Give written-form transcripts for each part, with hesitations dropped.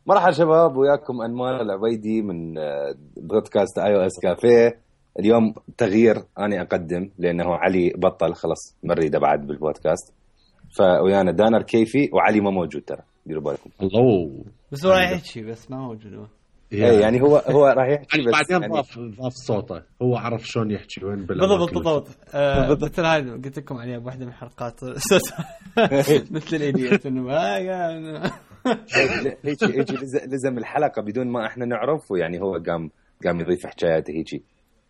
مرحبا شباب، وياكم أنمار العبيدي من بودكاست iOS كافيه. اليوم تغيير، أنا أقدم لأنه علي بطل خلص مريدة بعد بالبودكاست، فويانا دانر كيفي وعلي ما موجود ترى، ديروا بالكم. الله، بس هو راح يحكي بس ما موجود هو. اي يعني هو راح يحكي بس بعدين يعني ضاف صوته، هو عرف شلون يحكي وين بالضبط. مثل هاي قلت لكم عليها بواحدة من الحلقات مثل الإيديت إنه هيك لزم الحلقة بدون ما احنا نعرف، ويعني هو قام يضيف حكاياته هيك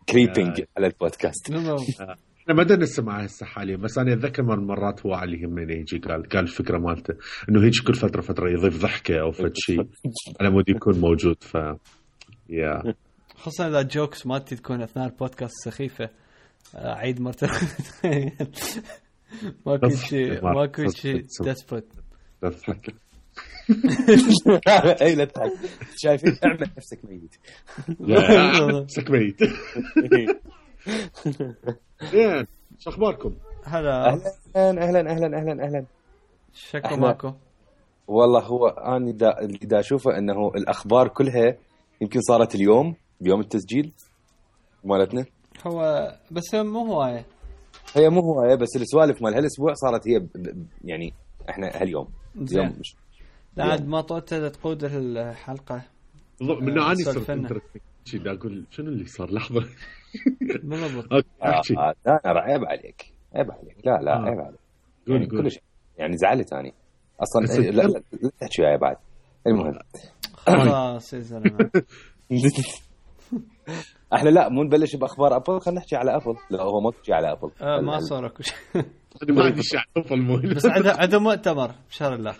كريبينج على البودكاست. احنا ما بدنا نسمع هسه حاليا، بس انا اتذكر مرات هو علي همين يجي قال الفكره مالته انه هيك كل فتره يضيف ضحكه او فد شيء على مود يكون موجود. ف يا خاصة إذا جوكس مالتي تكون أثناء البودكاست سخيفة. عيد مرة ماكو شيء تثبت. تضحك اي لا تضحك، شايفين اعمل نفسك ميت. نفسك ميت. شو اخباركم؟ هلا اهلا شكو ماكو. والله هو انا دا اشوفه انه الاخبار كلها يمكن صارت اليوم بيوم التسجيل مالتنا. هو بس مو هواية، هي مو هواية، بس السوالف مال هالاسبوع صارت هي يعني احنا هاليوم اليوم مش بعد ما طلعت تقود الحلقة من اني صرت شي دا اقول شنو اللي صار لحظة. بالضبط. لا عيب عليك لا عيب عليك يعني كل شيء يعني زعلت اني اصلا. لا تحكي وياي بعد. المهم خلاص يا زلمه احنا لا مو نبلش باخبار ابل، خلينا نحكي على ابل. لا هو ما تحكي على ابل. ما صار اكو شيء. ما عندي شيء على ابل، بس عنده مؤتمر بشهر الله.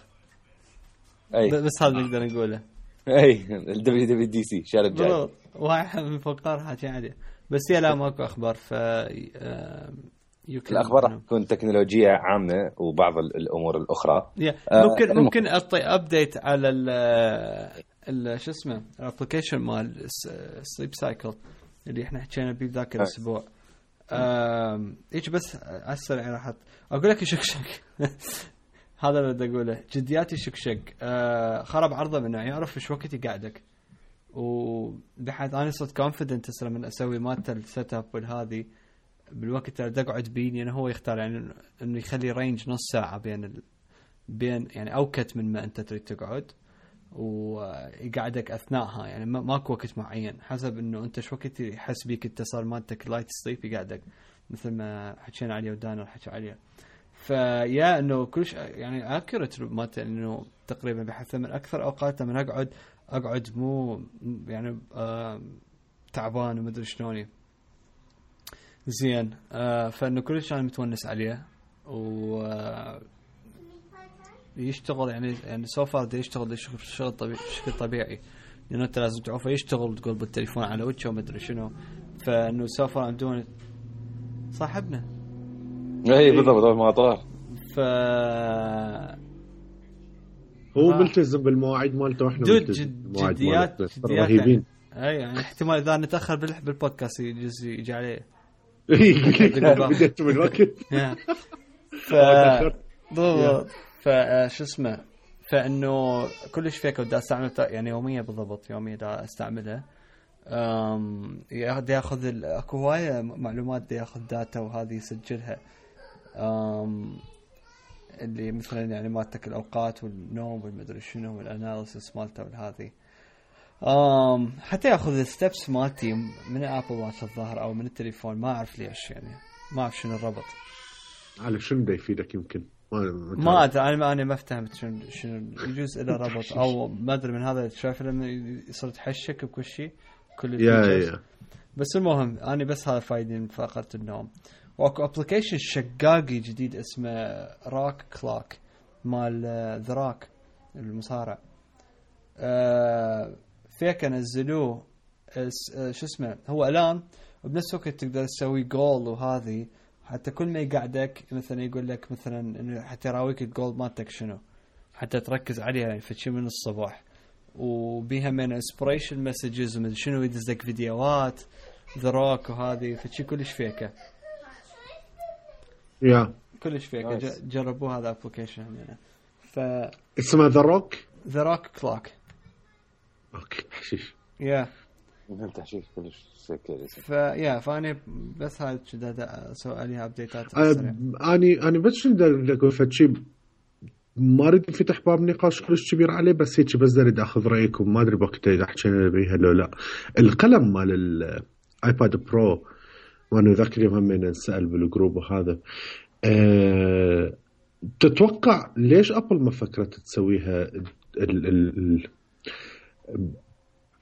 بس هذا نقدر نقوله. اي WWDC شهر الجاي. واحد من فقار حكي عليه. بس يا لا ماكو اخبار. ف الأخبار راح تكون تكنولوجية عامة وبعض الأمور الأخرى. ممكن أعطي أبديت على شو اسمه الابلكيشن مال سليب سايكل اللي إحنا حكينا بيه ذاك الأسبوع. إيش بس عالسريع راح أقول لك شك هذا اللي بدي أقوله. جدياتي شك خرب عرضه منه، يعرف إيش وقت يقعدك، وبحيث أنا صرت كونفيدنت هسه من أسوي مالته السيت أب والهذه بالوقت اللي أقعد بيني أنا. هو يختار يعني إنه يخلي رينج نص ساعة بين يعني أوكت من ما أنت تريد تقعد، ويقعدك أثناءها. يعني ماكو وقت معين، حسب إنه أنت شو وقت يحس بيك اتصال مالتك لايت سليب يقعدك، مثل ما حكينا عليه ودانر حكي عليه. فيا إنه كلش يعني أكيرت مالته، إنه تقريبا بحث من أكثر أوقات من أقعد مو يعني تعبان ومدري شلوني زين. فإنه كلش أنا متونس عليه ويشتغل يعني سوفر ده يشتغل شغل بشكل طبيعي، لأنه أنت لازم تعرفه يشتغل تقول بالتليفون على وجهه ومدري شنو. فإنه سوفر عندون صاحبنا اي بالضبط ما طار. هو ملتزم بالمواعيد مالته واحنا جديات رهيبين. يعني احتمال إذا نتأخر بالبودكاست يجي عليه بديت من وقت. شو اسمه. فإنه كلش فيك بدي استعمل يعني يوميا بالضبط، يوميا دا استعملها. ياخذ اكو هواية معلومات، ياخذ داتا وهذه يسجلها. اللي مثلا يعني مالتك الأوقات والنوم والمدري شنو والأناليسيس مالته والهذه. حتى ياخذ الستبس مالتي من ابل واتش الظاهر او من التليفون، ما اعرف ليش، يعني ما اعرف شنو الربط. على شنو ده يفيدك؟ يمكن ما ادري، انا ما فهمت شنو يجوز الى ربط او ما ادري. من هذا شايف لما يصير تحشك بكل شيء كل يا بس المهم انا بس هذا فايدين من فقرة النوم. واكو ابلكيشن شقاقي جديد اسمه راك كلاك مال ذا راك المصارع. فيك نزلوه شو اسمه هو الان، وبنفس الوقت تقدر تسوي جول وهذه. حتى كل ما يقعدك مثلا يقول لك مثلا انه حتى يراويك الجول مالتك شنو، حتى تركز عليها يعني فشي من الصباح. وبيها من انسبريشن مسجز ومن شنو يدزك فيديوهات ذا روك وهذه، فشي كلش فيكه يا كلش فيكه. جربوا هذا ابلكيشن هنا. ف اسمه ذا روك كلاك. اوكي حشيش يا انت حشيش كلش سكر. فاني بس هاي كذا اسوي عليها ابديتات سريعه. اني بس بدي اقول فد شيء ما اريد نفتح باب نقاش كلش كبير عليه، بس هيك بس اريد اخذ رايكم. ما ادري بوقتها اذا حكينا بيها لو لا. القلم مال الايباد برو وانا ذاك اليوم هم نسال بالجروب وهذا تتوقع ليش ابل ما فكرت تسويها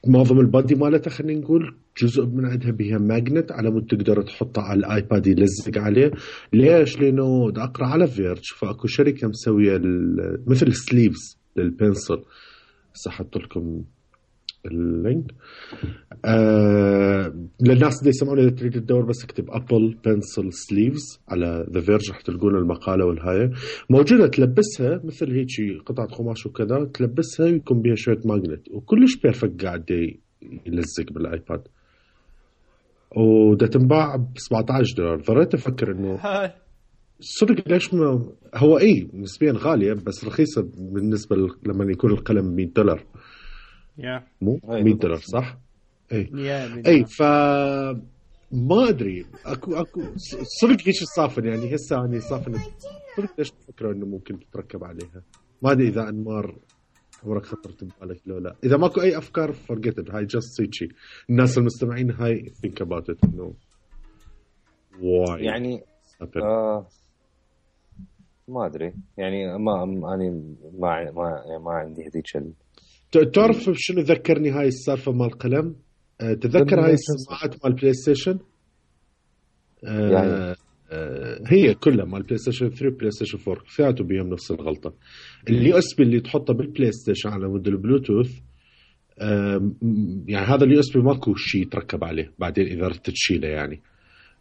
معظم البادي مالتها خلينا نقول جزء من عندها بها ماجنت على مود تقدر تحطه على الايباد يلزق عليه؟ ليش؟ لانه دا اقرا على فيرج فاكو شركه مسويه مثل سليفز للبنسل. سحبت لكم اللينك للناس اللي يسمعون اذا تريد تدور بس اكتب ابل بنسل سليفز على ذا فيرج راح تلقون المقاله والهايه موجوده. تلبسها مثل هيك قطعه قماش وكذا، تلبسها ويكون بها شويه ماجنت وكلش بيرفكت قاعد يلزق بالايباد، وده تنباع ب $17. ضريت افكر انه صدق ليش ما هو نسبيا غاليه بس رخيصه بالنسبه لما يكون القلم $100 مو $100 صح؟ اي ما ادري اكو صدق هيك صافن يعني هسه اني صافن صدق ليش تفكروا انه ممكن تتركب عليها؟ ما ادري اذا انمار عمرك خطرت ببالك لو لا. اذا ماكو اي افكار فرقت هاي جاست هيك الناس المستمعين هاي think about it انه يعني ما ادري يعني ما عندي هذيك تعرف شنو ذكرني هاي السالفه مال القلم؟ تذكر هاي السماعات مال بلاي ستيشن يعني هي كلها مال بلاي ستيشن 3 بلاي ستيشن 4 فياتو بيهم نفس الغلطه. اليو اس بي اللي تحطه بالبلاي ستيشن على مود البلوتوث يعني هذا اليو اس بي ماكو شيء يتركب عليه بعدين اذا ردت تشيله، يعني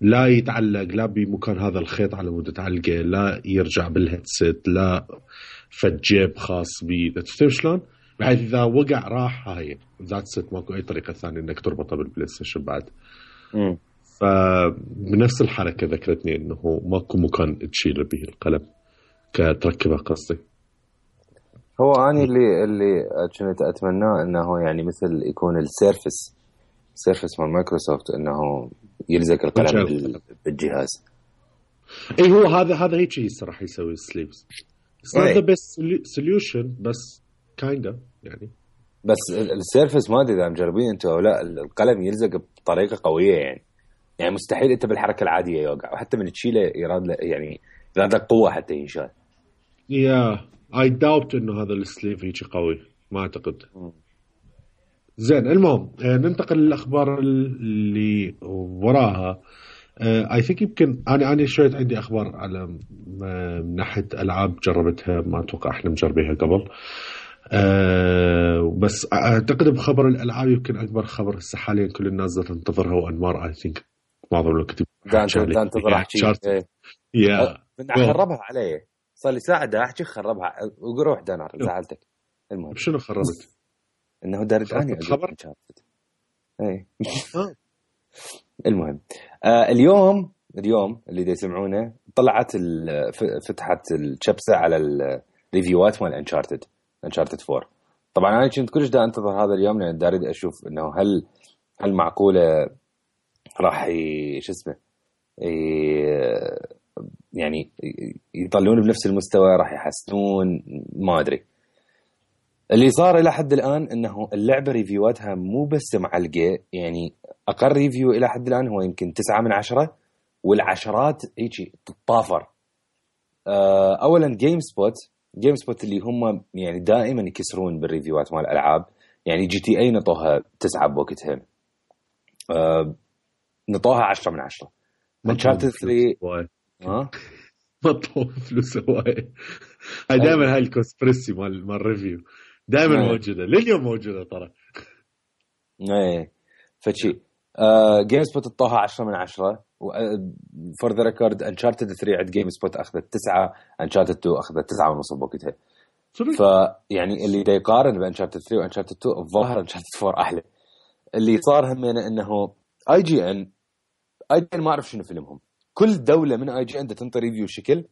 لا يتعلق لا بمكان هذا الخيط على مود تعلقه، لا يرجع بالهيدسيت، لا فجيب خاص بيه. تفهم شلون؟ بحيث إذا وقع راح هاي ذات ست ماكو أي طريقة ثانية إنك تربطه بالبلاي ستيشن بعد. فبنفس الحركة ذكرتني إنه ماكو مكان تشيل به القلم كتركبه قصدي. هو أنا اللي كنت أتمناه إنه يعني مثل يكون السيرفس مال مايكروسوفت إنه يلزق القلم بالجهاز. إيه هو هذا هيك الصراحة يسوي السليبس. It's not the best solution بس كايندا يعني. بس السيرفس ما ادري اذا مجربين انتوا او لا، القلم يلزق بطريقه قويه يعني مستحيل انت بالحركه العاديه يوقع، وحتى من تشيله يراد يعني يراد قوه حتى ينشال. I doubt انه هذا السليف هيك قوي، ما اعتقد. زين المهم ننتقل للاخبار اللي وراها. I think يمكن أنا شوية عندي أخبار على من ناحية ألعاب جربتها ما أتوقع إحنا مجربيها قبل. بس أعتقد بخبر الألعاب يمكن أكبر خبر هسه حاليا كل الناس تنتظرها وأنمار I think معظم الوقت تنتظر أحكي خربها علي صار لي ساعة دا أحكي خربها وروح دانار زعلتك. المهم شنو خربت؟ إنه دارت أنا خبر المهم اليوم اللي دا يسمعونه طلعت فتحت الشبسة على الريفيوات مال انشارتد 4. طبعا انا كنت كلش دا انتظر هذا اليوم لان دا اريد اشوف انه هل معقوله راح يعني يطلعون بنفس المستوى، راح يحسنون، ما ادري. اللي صار الى حد الان انه اللعبه ريفيواتها مو بس معلقه، يعني اقل ريفيو الى حد الان هو يمكن 9 من 10، والعشرات هيك تطافر. اولا جيم سبوت اللي هم يعني دائما يكسرون بالريفيوات مال الالعاب، يعني جي تي اي نطوها 9 بوقتها، نطوها 10 من 10. انشارتد 3 ما طوف فلوس هواي. هاي دائما هاي الكونسبرسي مال ريفيو دائما موجوده لليوم موجوده ترى. ايه فشي جيم سبوت طوها 10 من 10 فور ذا ريكورد. انشارتد 3 عند جيم سبوت اخذت 9، انشارتد 2 اخذت 9.5 بوقتها. فيعني اللي دا يقارن بانشارتد 3 وانشارتد 2 الظاهر انشارتد 4 احلى. اللي صار همينه انه اي جي ان ما اعرف شنو فيلمهم، كل دوله من اي جي ان تنطي ريفيو شكل.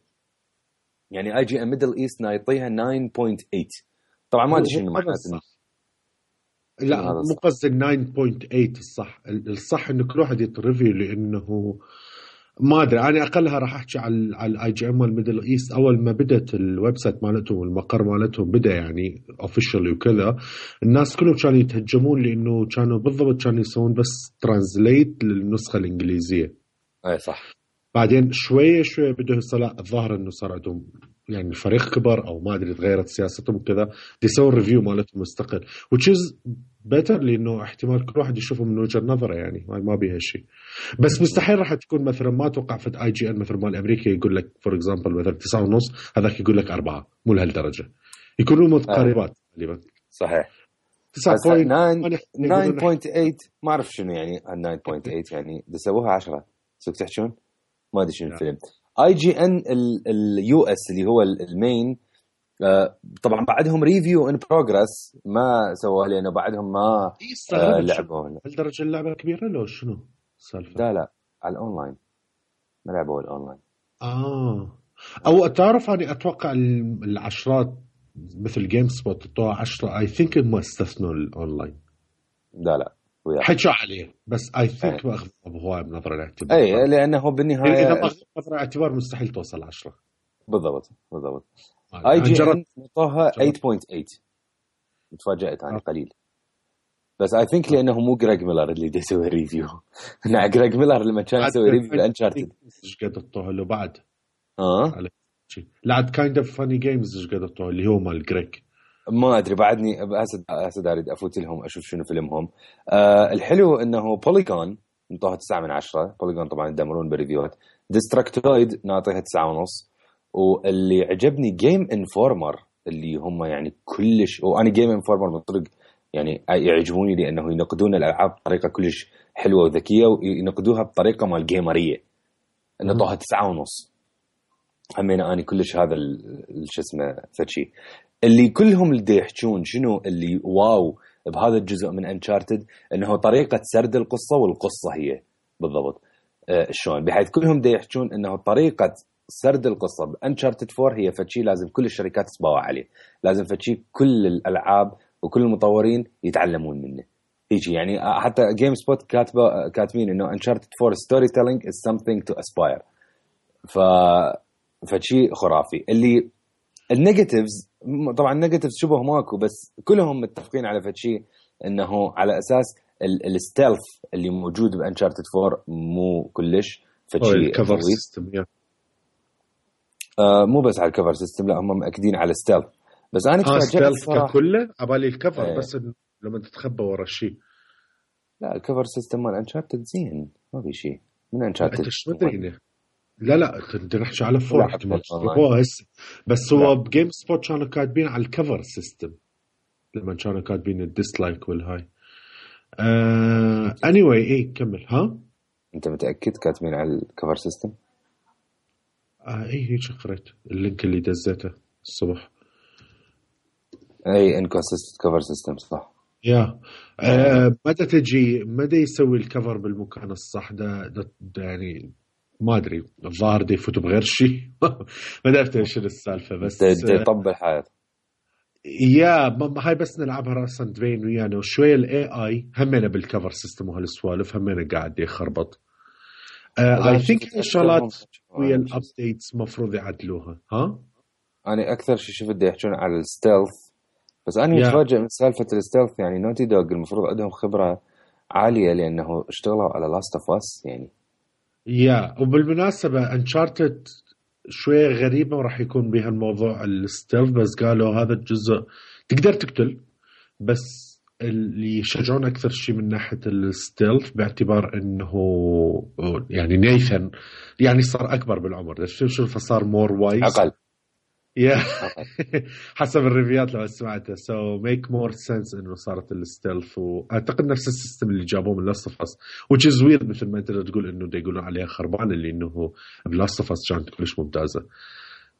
يعني اي جي ان ميدل ايست نايطيها 9.8. طبعا ما ادري شنو معناته. لا مو قصدي 9.8 الصح انه كل واحد يتريفيو، لانه ما ادري انا اقلها راح احكي على الاي جي ام الميدل ايست. اول ما بدت الويب سايت مالتهم والمقر مالتهم بدا يعني اوفيشال وكذا، الناس كلهم كانوا يتهجمون لانه كانوا بالضبط كانوا يسوون بس ترانزليت للنسخه الانجليزيه. اي صح. بعدين شويه بدوا يصلا الظاهر انه صار عندهم يعني الفريق كبر او ما ادري تغيرت سياستهم كذا، يسوون ريفيو مالتهم مستقل وتشيز بيتر، لانه احتمال كل واحد يشوفه من وجهه نظره، يعني ما بيها شيء. بس مستحيل راح تكون مثلا ما اتوقع في اي جي ان مثل مال امريكا يقول لك فور اكزامبل مثلا 9.5 هذاك يقول لك 4، مو لهالدرجه، يكونوا متقاربات تقريبا. صحيح. 9.8 ما اعرف شنو يعني 9.8 يعني سووها 10 سوق تحشون ما ادري شنو الفيلم. اي جي ان اليو اس اللي هو المين طبعا بعدهم ريفيو ان بروجرس ما سووها لانه بعدهم ما لعبوا. هالدرجه اللعبه كبيره لو شنو السالفه؟ لا على الاونلاين ما لعبوا الاونلاين. او تعرف اني اتوقع العشرات مثل جيم سبوت طوع 10 اي ثينك ما استثنوا الاونلاين. لا حكوا عليه بس اي ثينك ما اخذوا بهوايه بنظر الاعتبار. اي لانه بالنهايه اذا ما اخذوا بنظر الاعتبار مستحيل توصل 10. بالضبط. اي جي ان نطوها 8.8. تفاجأت انا قليل بس اي ثينك لانه مو جريج ميلر اللي دا يسوي ريفيو. انا جريج ميلر لما كان يسوي ريفيو لانشارتد ايش قد طوها له بعد لعد كايند اوف فاني جيمز ايش قد طوها اللي هو مال جريج ما ادري بعدني هسه اريد افوت لهم اشوف شنو فيلمهم. الحلو انه بوليجون نطوها 9/10. بوليجون طبعا يدمرون بالريفيوات. ديستركتويد نعطيها 9.5. واللي عجبني جيم انفورمر اللي هم يعني كلش، وانا جيم انفورمر من طرق يعني يعجبوني لانه ينقدون الالعاب بطريقه كلش حلوه وذكيه وينقدوها بطريقه مال جيمريه. نطوها 9.5. همينا اني كلش هذا شو اسمه فشي اللي كلهم اللي يحكون شنو اللي واو بهذا الجزء من انشارتد انه طريقه سرد القصه والقصه هي بالضبط شلون، بحيث كلهم دا يحكون انه طريقه سرد القصه بانشارتد 4 هي فشي لازم كل الشركات تسباوع عليه، لازم فشي كل الالعاب وكل المطورين يتعلمون منه هيك يعني. حتى جيم سبوت كاتبين انه انشارتد 4 ستوري تيلينج از something to aspire. فشي خرافي. اللي النيجاتيفز طبعا النيجاتيفز شبه ماكو بس كلهم متفقين على فشي انه على اساس الستيلث اللي موجود بانشارتد 4 مو كلش فشي الكفر سيستم مو بس على الكفر سيستم، لا هم مأكدين على ستيلث. بس انا ستيلث ككله عبالي الكفر بس لما تتخبى ورا الشيء. لا الكفر سيستم مال انشارتد زين ما في شيء من انشارتد. لا انت نحكي على فور احتمال هو هسه بس هو بجيم سبوت كانوا كاتبين على الكفر سيستم لما كانوا كاتبين الديسلايك والهاي. anyway كمل. انت متأكد كاتبين على الكفر سيستم؟ هيك قريت اللينك اللي دزيته الصبح. اي انكونسيستنت كفر سيستم صح. متى تجي متى يسوي الكفر بالمكان الصح ده يعني ما ادري الظاهر دي يفوتوا بغير شيء. ما عرفت ايش السالفه بس يطبل حياته. هاي بس نلعبها راسا تبين ويانا وشويه الاي اي همنا بالكفر سيستم وهالسوالف همنا قاعد يخربط. اي ثينك الشغلات ويا الابديتس مفروض يعدلوها. انا اكثر شيء شفت يحكون على الستيلث بس انا متفاجئ من سالفه الستيلث. يعني نوتي دوغ المفروض عندهم خبره عاليه لانه اشتغلوا على لاست اوف اس يعني. وبالمناسبه انشارتد شويه غريبه وراح يكون بها الموضوع الستيلث، بس قالوا هذا الجزء تقدر تقتل بس اللي يشجعون أكثر شيء من ناحية الستيلث باعتبار أنه يعني نيثن يعني صار أكبر بالعمر. شوف فصار مور وايز أقل. حسب الريفيات لو سمعته so make more sense إنه صارت الستيلث. وأعتقد نفس السيستم اللي جابوه من Last of Us which is weird مثل ما أنت تقول إنه دا يقولون عليها خربان اللي إنه Last of Us كانت كلش ممتازة.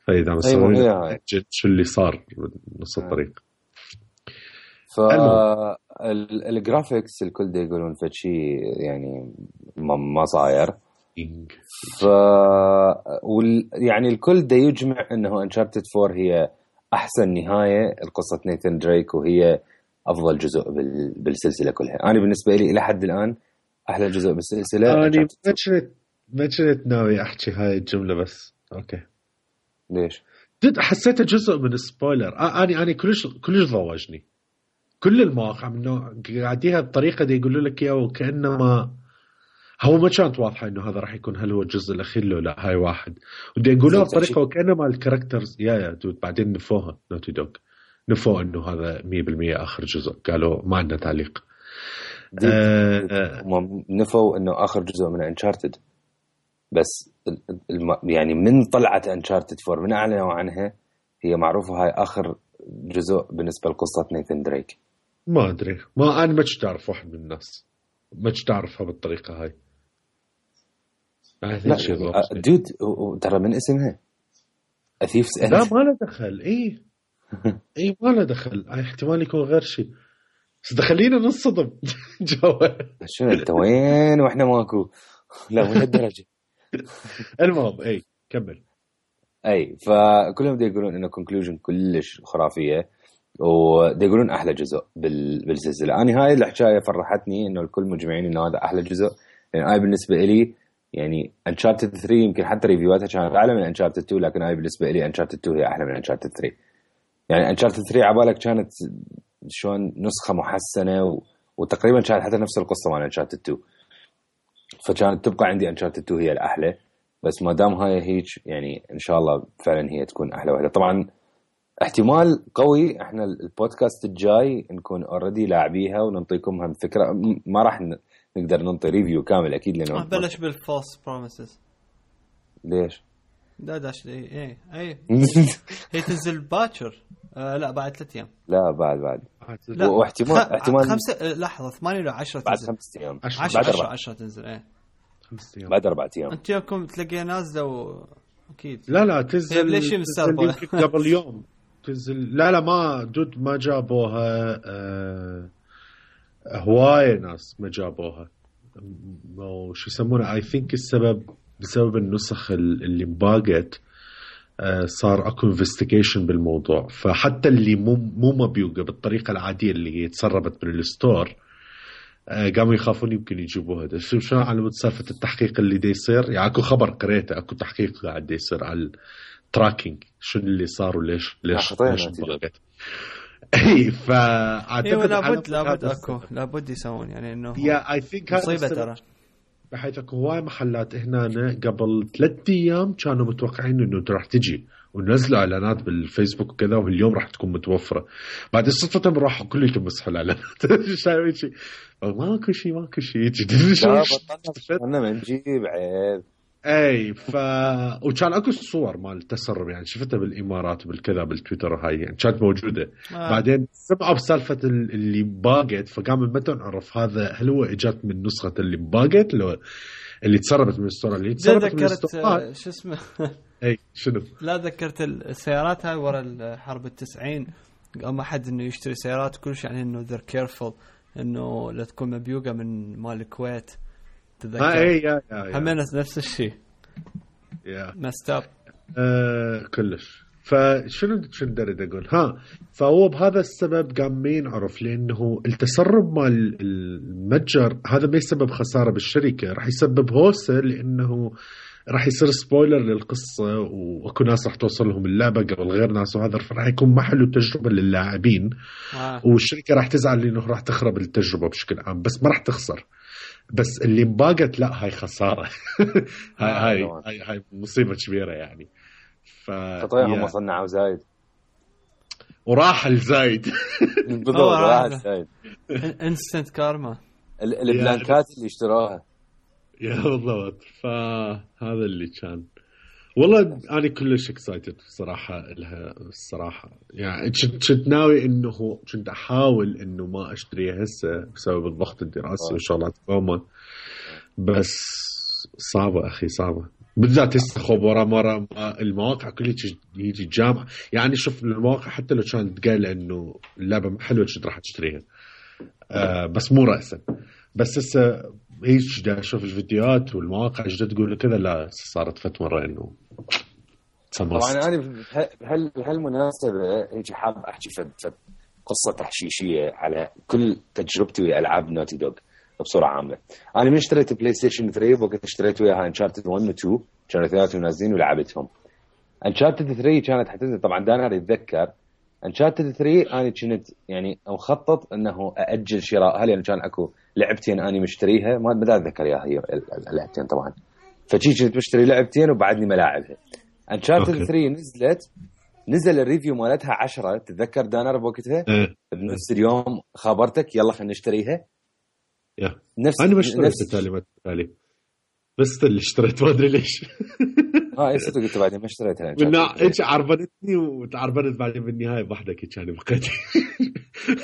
فإذا مثلا شو اللي صار نص الطريق. فالجرافيكس الكل دا يقولون فشي يعني ما صاير. يعني الكل دا يجمع انه انشارتد 4 هي احسن نهايه القصه نيثن دريك وهي افضل جزء بالسلسله كلها. انا بالنسبه لي الى حد الان احلى جزء بالسلسله. انا ما كنت ناوي احكي هاي الجمله بس اوكي. ليش؟ حسيته جزء من السبويلر. انا كلش ضوجني. كل المواقع منه قاعديها بطريقه دي يقولوا لك اياه وكانما هو ما كانت واضحه انه هذا راح يكون هل هو الجزء الاخير لو لا. هاي واحد ودي يقولوها بطريقه وكانما الكاركترز يا دود بعدين نفوها نوتي دوغ نفوا انه هذا 100% اخر جزء. قالوا ما عندنا تعليق. نفوا انه اخر جزء من انشارتد بس يعني من طلعت انشارتد 4 من اعلنوا عنها هي معروفه هاي اخر جزء بالنسبه لقصه نيثن دريك. ما ادري ما انا ما تعرف واحد من الناس ما تعرفها بالطريقه هاي. لا دود ترى من اسمها اثيفز اند. لا ما له دخل. اي ما له دخل. احتمال يكون غير شيء بس دخلينا نصدم جوا. شنو انت وين واحنا ماكو؟ لا من هالدرجه. المهم كمل. فكلهم دي يقولون انه كونكلوجن كلش خرافيه ودي يقولون احلى جزء بالسلسله. انا هاي الحكايه فرحتني انه الكل مجمعين انه هذا احلى جزء. لان اي بالنسبه لي يعني انشارتد 3 يمكن حتى ريفيواتها كانت اعلى من انشارتد 2 لكن اي بالنسبه لي انشارتد 2 هي احلى من انشارتد 3. يعني انشارتد 3 عبالك كانت شلون نسخه محسنه وتقريبا كانت حتى نفس القصه مال انشارتد 2 فكانت تبقى عندي انشارتد 2 هي الاحلى. بس ما دام هاي هيك يعني ان شاء الله فعلا هي تكون احلى واحده. طبعا احتمال قوي احنا البودكاست الجاي نكون اوريدي لاعبيها وننطيكم هم فكره. ما راح نقدر ننطي ريفيو كامل اكيد لانه بلش بالفالس بروميسز. ليش؟ داش اي هي تنزل باكر. لا بعد 3 ايام. لا بعد واحتمال 5 لحظه 8 ولا 10 بعد تنزل. 5 ايام 10 تنزل 5 ايام بعد 4 ايام. انت يومكم تلاقيها نازله اكيد. لا تنزل قبل يوم تنزل. لا ما دود ما جابوها. هواية ناس ما جابوها. وش يسمونه اي ثينك السبب بسبب النسخ اللي مباقت. صار اكو انفستيجيشن بالموضوع فحتى اللي مو مبيوقه بالطريقه العاديه اللي هي تسربت من الستور قاموا يخافون يمكن يجيبوها. شو على سالفه التحقيق اللي دي يصير. يعني اكو خبر قريته اكو تحقيق قاعد يصير على التراكينج شو اللي صار وليش بقت. فاعتقد لابد يسوون يعني انه اي ثينك مصيبه ترى. بحيث اكو هواي محلات هنا قبل 3 ايام كانوا متوقعين انه راح تجي ونزلوا اعلانات بالفيسبوك وكذا واليوم راح تكون متوفره. بعد صدفه راحوا كلهم مسحوا الاعلانات. شايف شيء ماكو شيء انا منجيب عيب. وكان اكو الصور مال التسرب يعني شفتها بالامارات بالكذا بالتويتر هاي يعني كانت موجوده. بعدين سمعوا بسالفه اللي باقت فقام ما نعرف هذا هل هو اجت من نسخه اللي باقت لو اللي تسربت من الستور اللي تسربت من الستور. شو اسمه شنو لا ذكرت السيارات هاي ورا الحرب 90 قام احد انه يشتري سيارات كلش يعني انه they're careful انه لا تكون مبيوقه من مال الكويت. تذكر همنا نفس الشيء مستاب كلش. فشنو دريد اقول فهو بهذا السبب قامين عرف لانه التسرب مال المتجر هذا ما يسبب خساره بالشركه راح يسبب هوسه لانه راح يصير سبويلر للقصه واكو ناس راح توصل لهم اللعبه قبل غير ناس وهذا راح يكون محل تجربه للاعبين. والشركه راح تزعل لانه راح تخرب التجربه بشكل عام بس ما راح تخسر. بس اللي مباقت لا هاي خساره. هاي مصيبه كبيره يعني. تطيعهم وصنعوا زايد وراح الزايد. بالضبط راح الزايد. انستنت كارما البلانكات اللي اشتراها يا بالضبط. فهذا اللي كان والله أنا كلش اكسايتد صراحة لها الصراحة يعني كنت ناوي إنه كنت أحاول إنه ما أشتريها هسه بسبب الضغط الدراسي وشغلات قومة بس صعبة أخي صعبة بالذات هسه ورا المواقع كلها يجي الجامعة يعني شوف المواقع حتى لو كانت قايلة إنه اللعبة حلوة كنت راح تشتريها بس مو رأسا بس هسه هيك دا أشوف الفيديوهات والمواقع جدا تقول كذا لا صارت فت مرة إنه طبعا أنا بهالمناسبة هيك حاب أحكي فد قصة تحشيشية على كل تجربتي ويا ألعاب نوتي دوغ بصورة عامة. أنا من اشتريت بلاي ستيشن 3 وقت اشتريت وياها انشارتد 1 و 2 كانوا ثلاثة نازلين ولعبتهم. انشارتد 3 كانت حتنزل طبعا دانر يتذكر انشارتد 3 أنا كنت يعني مخطط أنه أأجل شرائها لأن كان أكو لعبتين أنا مشتريها ما بدي أتذكر إياها هي اللعبتين طبعا فشي كنت مشتري لعبتين وبعدني ملاعبها. انشارتد 3 نزل الريفيو مالتها 10 تتذكر دانر بوقتها بنفس اليوم خبرتك يلا خلينا نشتريها. نفس انا ما اشتريت التالي بس اللي اشتريت ما ادري ليش اي صدق قلت بعدين ما اشتريتها من ايش عربنتني وتعربنت بعدين بالنهايه بوحدك كان بقيت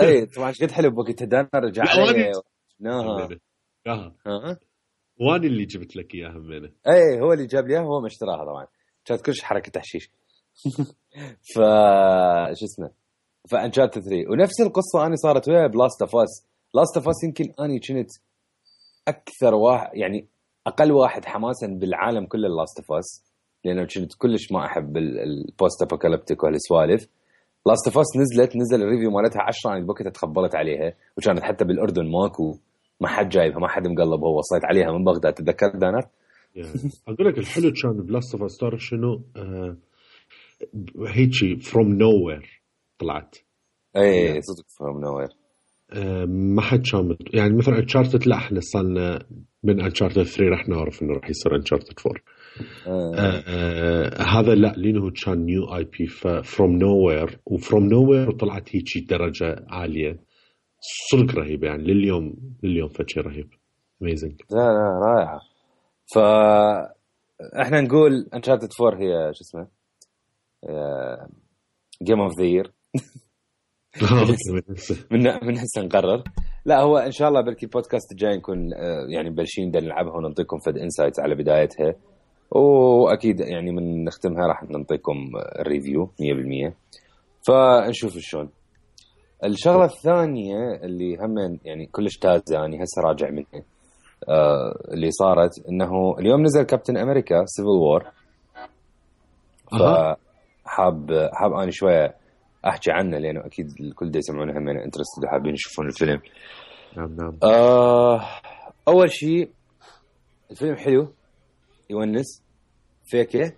اي طبعا قد حلو بوقتها دانر رجع لي واني اللي جبت لك اياها همينه. اي هو اللي جاب لي اياها هو ما اشتراها طبعا كانت كلش حركه تحشيش ف شو اسمه فانشارت 3 ونفس القصه انا صارت ويا بلاست اوف اس. لاست اوف اس يمكن اني كنت اكثر واحد يعني اقل واحد حماسا بالعالم كله لاست اوف اس لانه كنت كلش ما احب البوست ابوكاليبتيك والسوالف. لاست اوف اس نزل الريفيو مالتها 10 انا بوقتها تخبلت عليها وكانت حتى بالاردن ماكو ما حد جايبها ما حد مقلبها وصيت عليها من بغداد تتذكر دانر. اقول لك الحلو كان بلاست اوف اس تعرف شنو هيجي فروم نو وير طلعت اي صدق فروم نو وير ما حد كان يعني مثلا انشارتد لا احنا صلنا من انشارتد 3 راح نعرف انه راح يصير انشارتد 4 هذا لا لانه كان نيو اي بي فروم نو وير وفروم نو وير وطلعت هيجي درجه عاليه صدق رهيب يعني لليوم فشي رهيب اميزنج. لا رائعه. فاحنا نقول انشارتد 4 هي شو اسمه جيم اوف ذا يير من هسه نقرر. لا هو ان شاء الله بالكي البودكاست الجاي نكون يعني بلشين نلعبها ونعطيكم فد انسايتس على بدايتها واكيد يعني من نختمها راح نعطيكم الريفيو 100%. فنشوف شلون. الشغله الثانيه اللي هم يعني كلش تازه يعني هسه راجع منها اللي صارت انه اليوم نزل كابتن امريكا سيفل وور. فحاب اني شويه احكي عنه لانه اكيد الكل دا يسمعونه هم انترستد وحابين يشوفون الفيلم. نعم. اول شيء الفيلم حلو يونس فيكه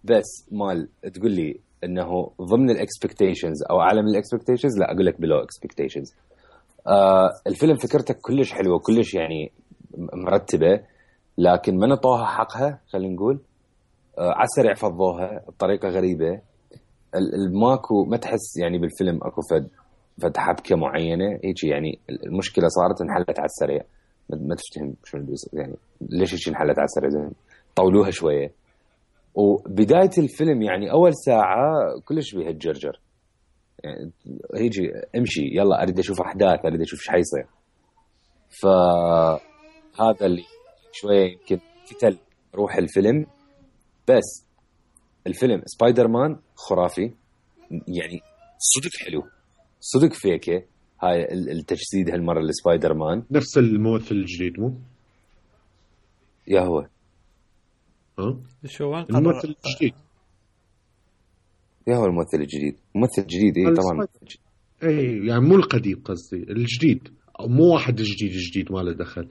بس مال تقول لي انه ضمن الاكسبكتيشنز او اعلى من الاكسبكتيشنز لا اقول لك بلو اكسبكتيشنز. الفيلم فكرته كلش حلوه كلش يعني مرتبه لكن ما نطوها حقها خلينا نقول عسرع فضوها بطريقه غريبه. الماكو ما تحس يعني بالفيلم اكو فد حبكه معينه هيك يعني المشكله صارت انحلت على السريع ما تفتهم شو يعني ليش هيك انحلت على السريع زين طولوها شويه. وبدايه الفيلم يعني اول ساعه كلش بيها الجرجر يعني هيجي امشي يلا اريد اشوف احداث اريد اشوف ايش حيصير. فهذا اللي شويه يمكن قتل روح الفيلم. بس الفيلم سبايدر مان خرافي يعني صدق حلو صدق فيكه هاي التجسيد هالمره لسبايدر مان نفس الممثل الجديد مو يا هو شو الممثل الجديد يا هو الممثل الجديد ممثل جديد اي طبعا اي يعني مو القديم قصدي الجديد مو واحد جديد ما له دخل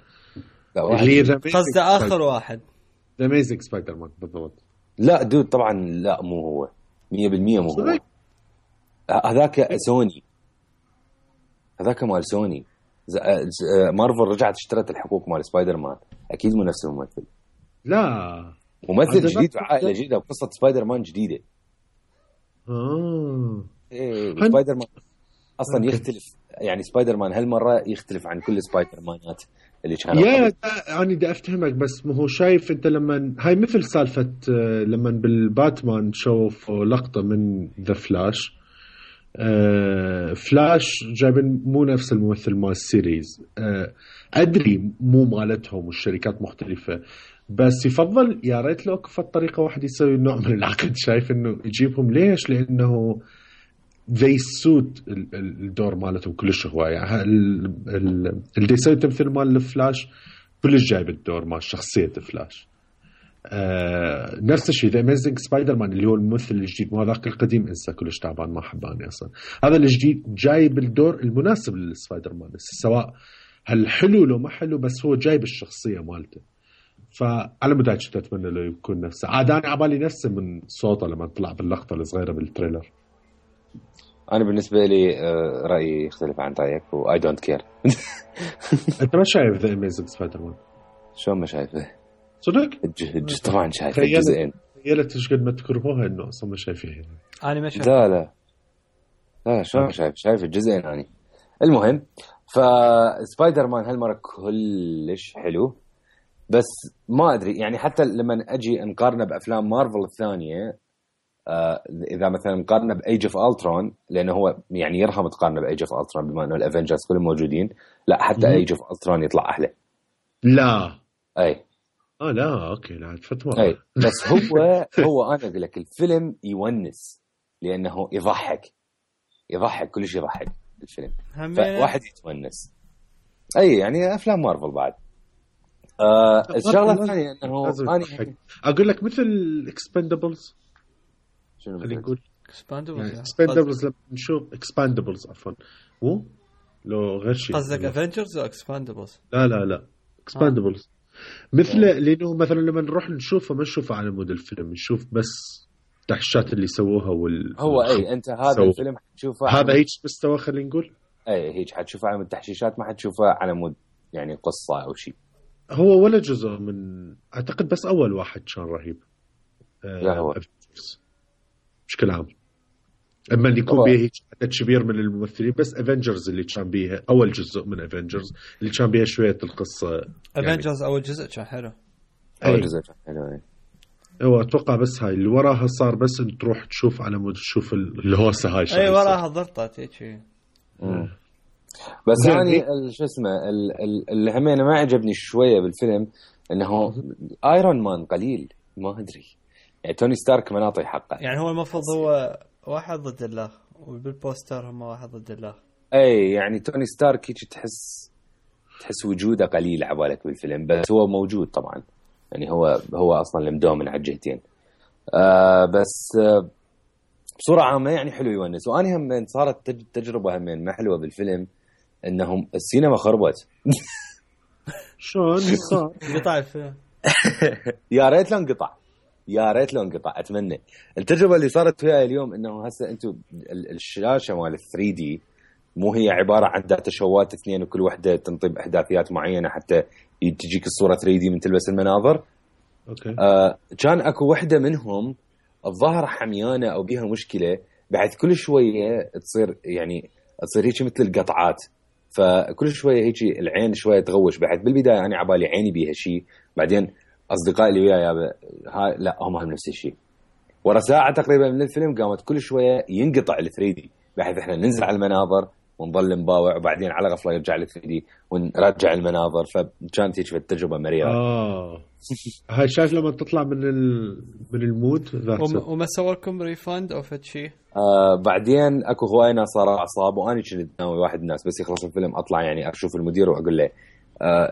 اللي قصده اخر واحد ذا اميزنج سبايدر مان بالضبط. لا دود طبعا لا مو هو 100% مو هو هذاك سوني هذاك مال سوني مارفل رجعت اشترت الحقوق مال سبايدر مان اكيد مو نفس الممثل لا ممثل جديد وعائله جديده وقصه سبايدر مان جديده. ايه سبايدر مان اصلا يختلف يعني سبايدر مان هالمره يختلف عن كل سبايدر مانات اللي كانوا يا يعني بدي افهمك بس ما هو شايف انت لما هاي مثل سالفه لما بالباتمان شوف لقطه من ذا فلاش فلاش جايبين مو نفس الممثل مال السيريز ادري مو مالتهم والشركات مختلفه بس يفضل يا ريت لو كفت طريقه واحد يسوي نوع من العقد شايف انه يجيبهم ليش لانه they suit الدور مالتهم كلش هو يعني اللي يسوي تمثيل مال الفلاش كلش جايب الدور مال شخصيه فلاش نفس الشيء ذا اميزنج سبايدر مان اللي هو الممثل الجديد، مو هذاك القديم انسى كلش تعبان ما احباني اصلا. هذا الجديد جايب الدور المناسب للسبايدر مان، سواء هل حلو لو ما حلو، بس هو جايب الشخصيه مالته. فعلى مدى كنت اتمنى له يكون نفسه. عاد انا عبالي نفسه من صوته لما طلع باللقطه الصغيره بالتريلر. انا بالنسبه لي رايي يختلف عن رايك واي دونت كير. انت ما شايف ذا اميزنج سبايدر مان؟ شو ما شايفه صدق؟ طبعا شايفه الجزئين. تخيلت ايش قد ما تكرهوها انه اصلا ما شايفها. انا ما شايف. لا شو شايف الجزئين يعني. المهم فسبايدر مان هالمره كلش حلو، بس ما ادري يعني حتى لما اجي نقارنه بافلام مارفل الثانيه، اذا مثلا مقارنه بايج اوف الترون، لانه هو يعني يرهم تقارنه بايج اوف الترون بما انه الافنجرز كلهم موجودين، لا حتى ايج اوف الترون يطلع احلى. لا اي لا اوكي لا فتوى. اي بس هو انا اقول لك الفيلم يونس لانه يضحك كلش يضحك الفيلم، فواحد يتونس. اي يعني افلام مارفل بعد. الشغله الثانيه انه انا اقول لك مثل اكسبندبلز. شنو خلينا نقول اكسباندبلز؟ اكسبندبلز لما نشوف اكسباندبلز عفوا مو لو غير شيء. قصدك افنجرز او اكسباندبلز؟ لا اكسباندبلز مثل لانه مثلا لما نروح نشوفه ما نشوفه على مود الفيلم، نشوف بس التحشيشات اللي سووها هو اي انت هذا الفيلم حتشوفه هذا هيك مستوى خلينا نقول. اي هيك حتشوفه على مود التحشيشات، ما حتشوفه على مود يعني قصه او شيء. هو ولا جزء من اعتقد بس اول واحد كان رهيب. لا هو بشكل عام اما اللي يكون بيه عدد كبير من الممثلين، بس افنجرز اللي كان بيها اول جزء من افنجرز اللي كان بيها شويه القصه. افنجرز يعني اول جزء كان حلو. اول جزء كان حلو. هو اتوقع بس هاي اللي وراها صار بس انت تروح تشوف على مود تشوف الهوسه هاي اي وراها ضرطت هيك. بس يعني شو اسمه اللي همينه ما عجبني شويه بالفيلم انه ايرون مان قليل، ما ادري يعني توني ستارك ما نعطي حقه. يعني هو المفروض هو واحد ضد الله، وبالبوستر هم واحد ضد الله. اي يعني توني ستارك هيك تحس وجوده قليل عبالك بالفيلم، بس هو موجود طبعا يعني هو اصلا المدومن على الجهتين. بس بصوره عامه يعني حلو يونس. واني هم صارت تجربه همين ما حلوه بالفيلم انهم السينما خربت. شلون صار؟ قطع الفيلم. يا ريت لو انقطع اتمنى. التجربه اللي صارت وياي اليوم انه هسه انتم الشاشه مال 3D مو هي عباره عن داتا شوات اثنين وكل وحده تنطي باحداثيات معينه حتى تجيك الصوره 3D من تلبس المناظر. اوكي. كان اكو وحده منهم الظاهر حميانه او بيها مشكله، بعد كل شويه تصير هيك مثل القطعات، فكل شويه هيك العين شويه تغوش. بعد بالبدايه انا عبالي عيني بيها شيء، بعدين اصدقائي اللي وياي لا هم نفس الشيء. ورا ساعه تقريبا من الفيلم قامت كل شويه ينقطع ال 3D بحيث احنا ننزل على المناظر ونظل نباوع، وبعدين على غفله يرجع ال 3D ونرجع المناظر. فكانت هيك التجربه مريره. هاي شايف لما تطلع من المود وما سووا لكم ريفاند او فد شيء؟ بعدين اكو هواي ناس صار اعصاب، وانا كنت ناوي واحد الناس بس يخلص الفيلم اطلع يعني اشوف المدير واقول له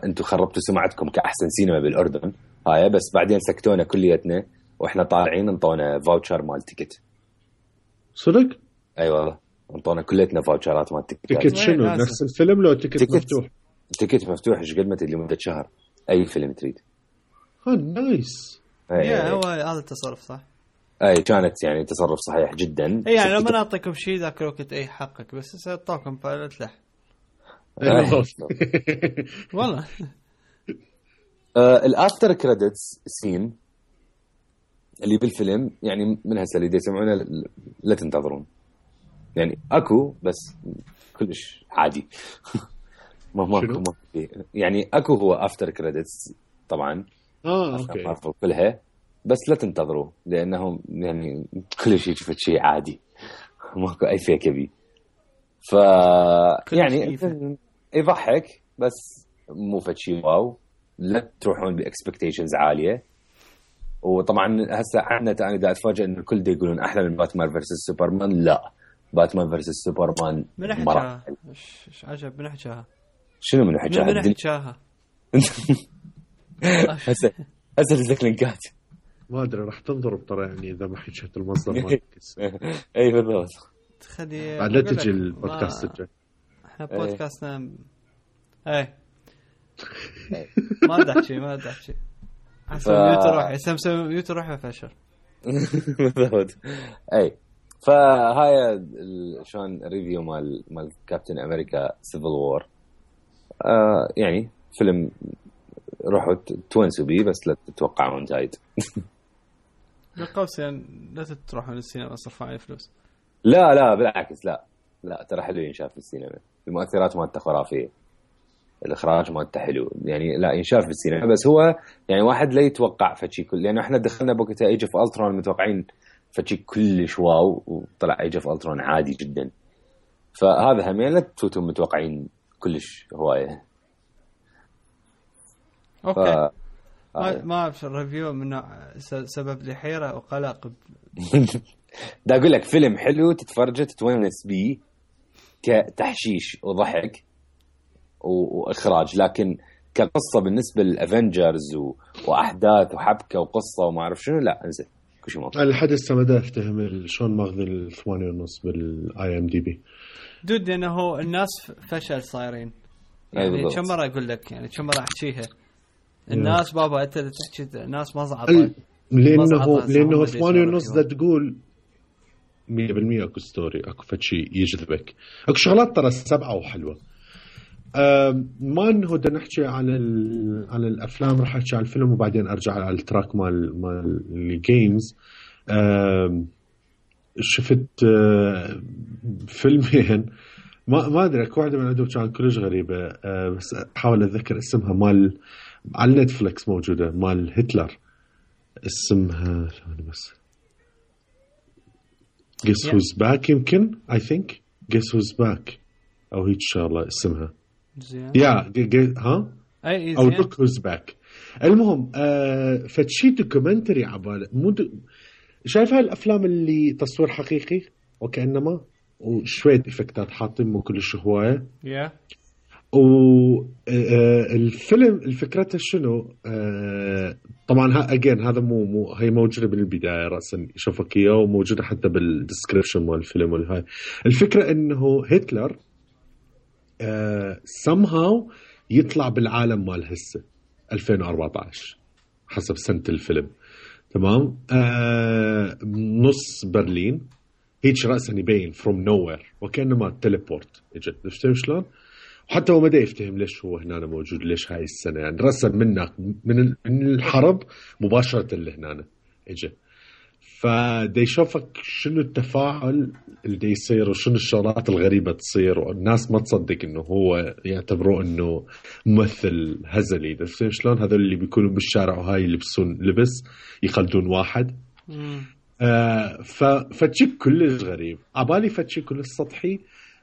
انتم خربتوا سمعتكم كاحسن سينما بالاردن هاي. بس بعدين سكتونا كليتنا واحنا طالعين انطونا فاوتشر مال تيكت. صدق؟ اي والله انطونا كليتنا فاوتشرات مال تيكت. تيكت شنو؟ نفس الفيلم لو تيكت مفتوح؟ تيكت مفتوح ايش قد ما تدري لمده شهر اي فيلم تريد. نايس. هو هذا التصرف صح. اي كانت يعني تصرف صحيح جدا. اي يعني لما نعطيكم شيء ذاك الوقت اي حقك، بس سأعطاكم بايلوت له والله. الافتر كريدتس سين اللي بالفيلم يعني من هسه اللي يسمعونه لا تنتظرون يعني اكو بس كلش عادي. ما يعني اكو هو افتر كريدتس طبعا. اوكي كلها بس لا تنتظروا لانهم يعني كل شيء شفت شيء عادي ماكو اي فيك بي. ف يعني يضحك بس مو فد شيء واو. لا تروحون باكسبكتيشنز عاليه. وطبعا هسه عندنا انا دا اتفاجئ ان الكل دا يقولون احلى من باتمان فيرسس سوبرمان. لا باتمان فيرسس سوبرمان مرة ايش عجب من حكاها. شنو من حكاها؟ من حكاها هسه لك لينكات ما ادري راح تنظر بطريقه يعني اذا ما حكيت المصدر مالك. اي بالضبط. تخلي بعد لا تجي البودكاست الجاي. احنا بودكاستنا اي ما دحشي حسب ميوت روح سمسم ميوت روح فشل. بالضبط. اي فهاي شلون ريفيو مال كابتن امريكا سيفل وور. يعني فيلم روحوا تونسوا بيه بس لا تتوقعون جيد. بالقوسين لا تروحون السينما صرفوا عليه فلوس. لا بالعكس لا ترى حلو ينشاف في السينما. المؤثرات مالته خرافيه، الاخراج مالته حلو يعني لا ينشاف في السينما. بس هو يعني واحد لا يتوقع فشي كل، لانه احنا دخلنا بوقتها ايج اوف الترون متوقعين فشي كلش واو، وطلع ايج اوف الترون عادي جدا. فهذا هم يعني لا تفوتوا متوقعين كلش هوايه. اوكي ما ابشر ريفيو منه سبب لي حيره وقلق. دا اقول لك فيلم حلو تتفرجه تتونس بيه كتحشيش وضحك واخراج، لكن كقصه بالنسبه للافنجرز واحداث وحبكه وقصه وما اعرف شنو لا انزين كل شيء موجود. الحدث ما افتهم شلون ماخذ 8.5 بالاي ام دي بي دود، لانه الناس فشل صايرين يعني كم مره اقول لك يعني كم مره احكيها الناس بابا انت تحكي الناس ما زعطت لانه 8.5 ده تقول 100% اكو ستوري اكو فشي يجذبك، اكو شغلات ترى 7 وحلوه. ما انه بدنا نحكي على الافلام، راح احكي على الفيلم وبعدين ارجع على التراك مال الجيمز. شفت فيلمين ما ادري اكو واحده من عندهم كان كلش غريبه، بس احاول اتذكر اسمها. مال على نتفليكس موجوده مال هتلر، اسمها بس Guess Who's Back يمكن I think Guess Who's Back او هيك شغله اسمها ها او Look Who's Back. المهم فتشي دوكيومنتري عباله شايف هاي الافلام اللي تصوير حقيقي وكأنما وشوية إفكتات حاطين مو كلش هواية. والفيلم الفكرته شنو؟ طبعا هذا مو هي موجودة بالبداية رأسا يشوفك إياه وموجودة حتى بالديسكريبشن مال الفيلم والهاي الفكرة إنه هتلر somehow يطلع بالعالم مال هسه 2014 حسب سنة الفيلم تمام. نص برلين هيك رأسا يبين from nowhere وكأنما تليبورت اجت. تفهم شلون؟ وحتى هو ما دا يفتهم ليش هو هنا موجود، ليش هاي السنة يعني رأسا من الحرب مباشرة اللي هنا اجت. فدا يشوفك شنو التفاعل اللي دا يصير وشنو الشغلات الغريبة تصير، والناس ما تصدق انه هو يعتبروه انه ممثل هزلي. تفهم شلون؟ هذول اللي بيكونوا بالشارع وهاي يلبسون لبس يخلدون واحد. فتشي كلش غريب عبالي، فتشي كلش سطحي.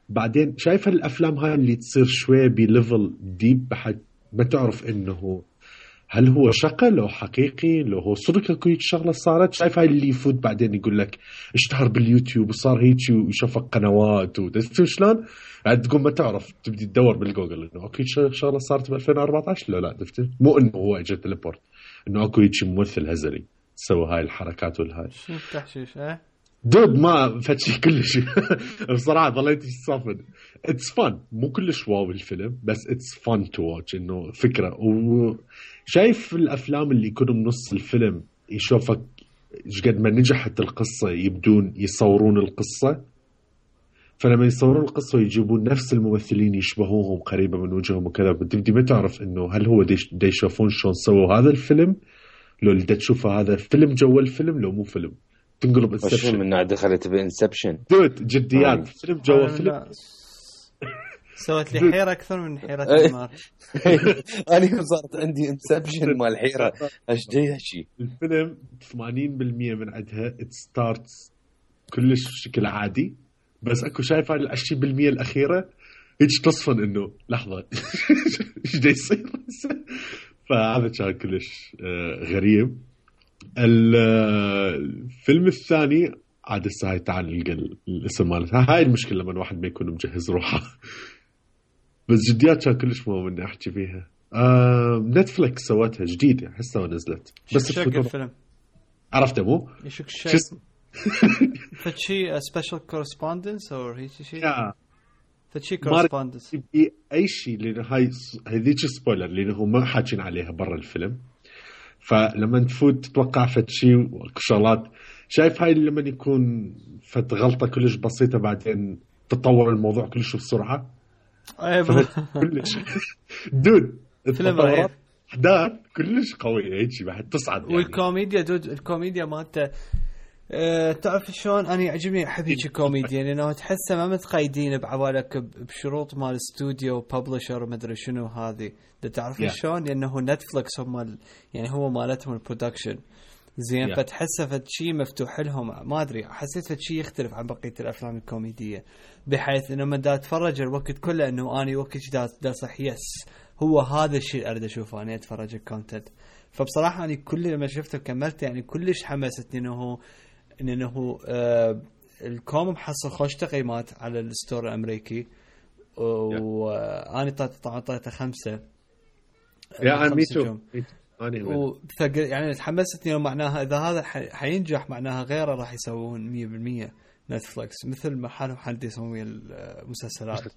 بعدين شايف الافلام هاي اللي تصير شوي بليفل ديب بحد ما تعرف انه هل هو شقة لو حقيقي لو هو صدق اكو هيك شغله صارت. شايف هاي اللي يفوت بعدين يقول لك اشتهر باليوتيوب وصار هيك ويشوفك قنوات وتشوف شلون بعد تقوم ما تعرف تبدي تدور بالجوجل انه اكو شغله صارت ب 2014 لا تفتكر مو انه هو اجى تليبورت انه اكو هيك ممثل هزلي سوى هاي الحركات والهاي شو تحشيش دود ما فتشي كلش بصراحة ظليت صافن. It's fun مو كلش واو الفيلم بس it's fun to watch إنه فكرة. وشايف الأفلام اللي يكونوا بنص الفيلم يشوفك قد ما نجحت القصة يبدون يصورون القصة، فلما يصورون القصة ويجيبون نفس الممثلين يشبهوهم قريبة من وجههم وكذا بتبدي ما تعرف إنه هل هو دا يشوفون شلون سووا هذا الفيلم لو اللي دا تشوفه هذا فيلم جوا الفيلم لو مو فيلم. تنقلب انسبشن من نوع دخلت بانسبشن دوت جديات فيلم جوا فيلم. سوت لي حيرة أكثر من حيرة النار. أنا صارت عندي انسبشن مال حيرة ايش جاي هالشيء. الفيلم 80% من عندها it starts كلش بشكل عادي بس اكو شايف هاي 20% الأخيرة هيك تصفن إنه لحظة ايش جاي يصير. فهذا كان كلش غريب. الفيلم الثاني عاد الساعة تعال الاسم مالتها هاي المشكلة لما الواحد ما يكون مجهز روحه بس جديات كان كلش مهم اني احكي فيها. نتفليكس سوتها جديدة حسها ونزلت بس الفيلم عرفته مو يشوك شيء فشي سبيشال كورسبوندنس او هيك شيء فشي كورسبوندنس اي شيء لانه هاي هذيك سبويلر لانه هم ما حاكين عليها برا الفيلم. فلما تفوت تتوقع فشي وشغلات شايف هاي لما يكون فت غلطه كلش بسيطه بعدين تطور الموضوع كلش بسرعه. كلش دود فيلم رهيب احداث كلش قويه هيك بعد تصعد يعني. والكوميديا دود الكوميديا مالته تعرف شلون انا يعجبني احب هيك كوميديا لانه تحسه ما متقيدين بعوالك بشروط مال استوديو وببلشر وما ادري شنو هذه تعرف شلون لانه نتفلكس هم يعني هو مالتهم البرودكشن زين فتحسه فشي مفتوح لهم ما ادري حسيت فشي يختلف عن بقيه الافلام الكوميديه بحيث انه ما اتفرج الوقت كله انه اني وقت دا صح يس هو هذا الشيء اريد اشوفه اني اتفرج الكونتنت. فبصراحه اني كل لما شفته كملت يعني كلش حمستني انه الكوم محصل خوش تقييمات على الستور الامريكي واني طبعا طلعت 5 يا ميتو يعني تحمستني معناها اذا هذا حينجح معناها غيره راح يسوون 100% نتفلكس مثل ما حالهم حد يسوي المسلسلات.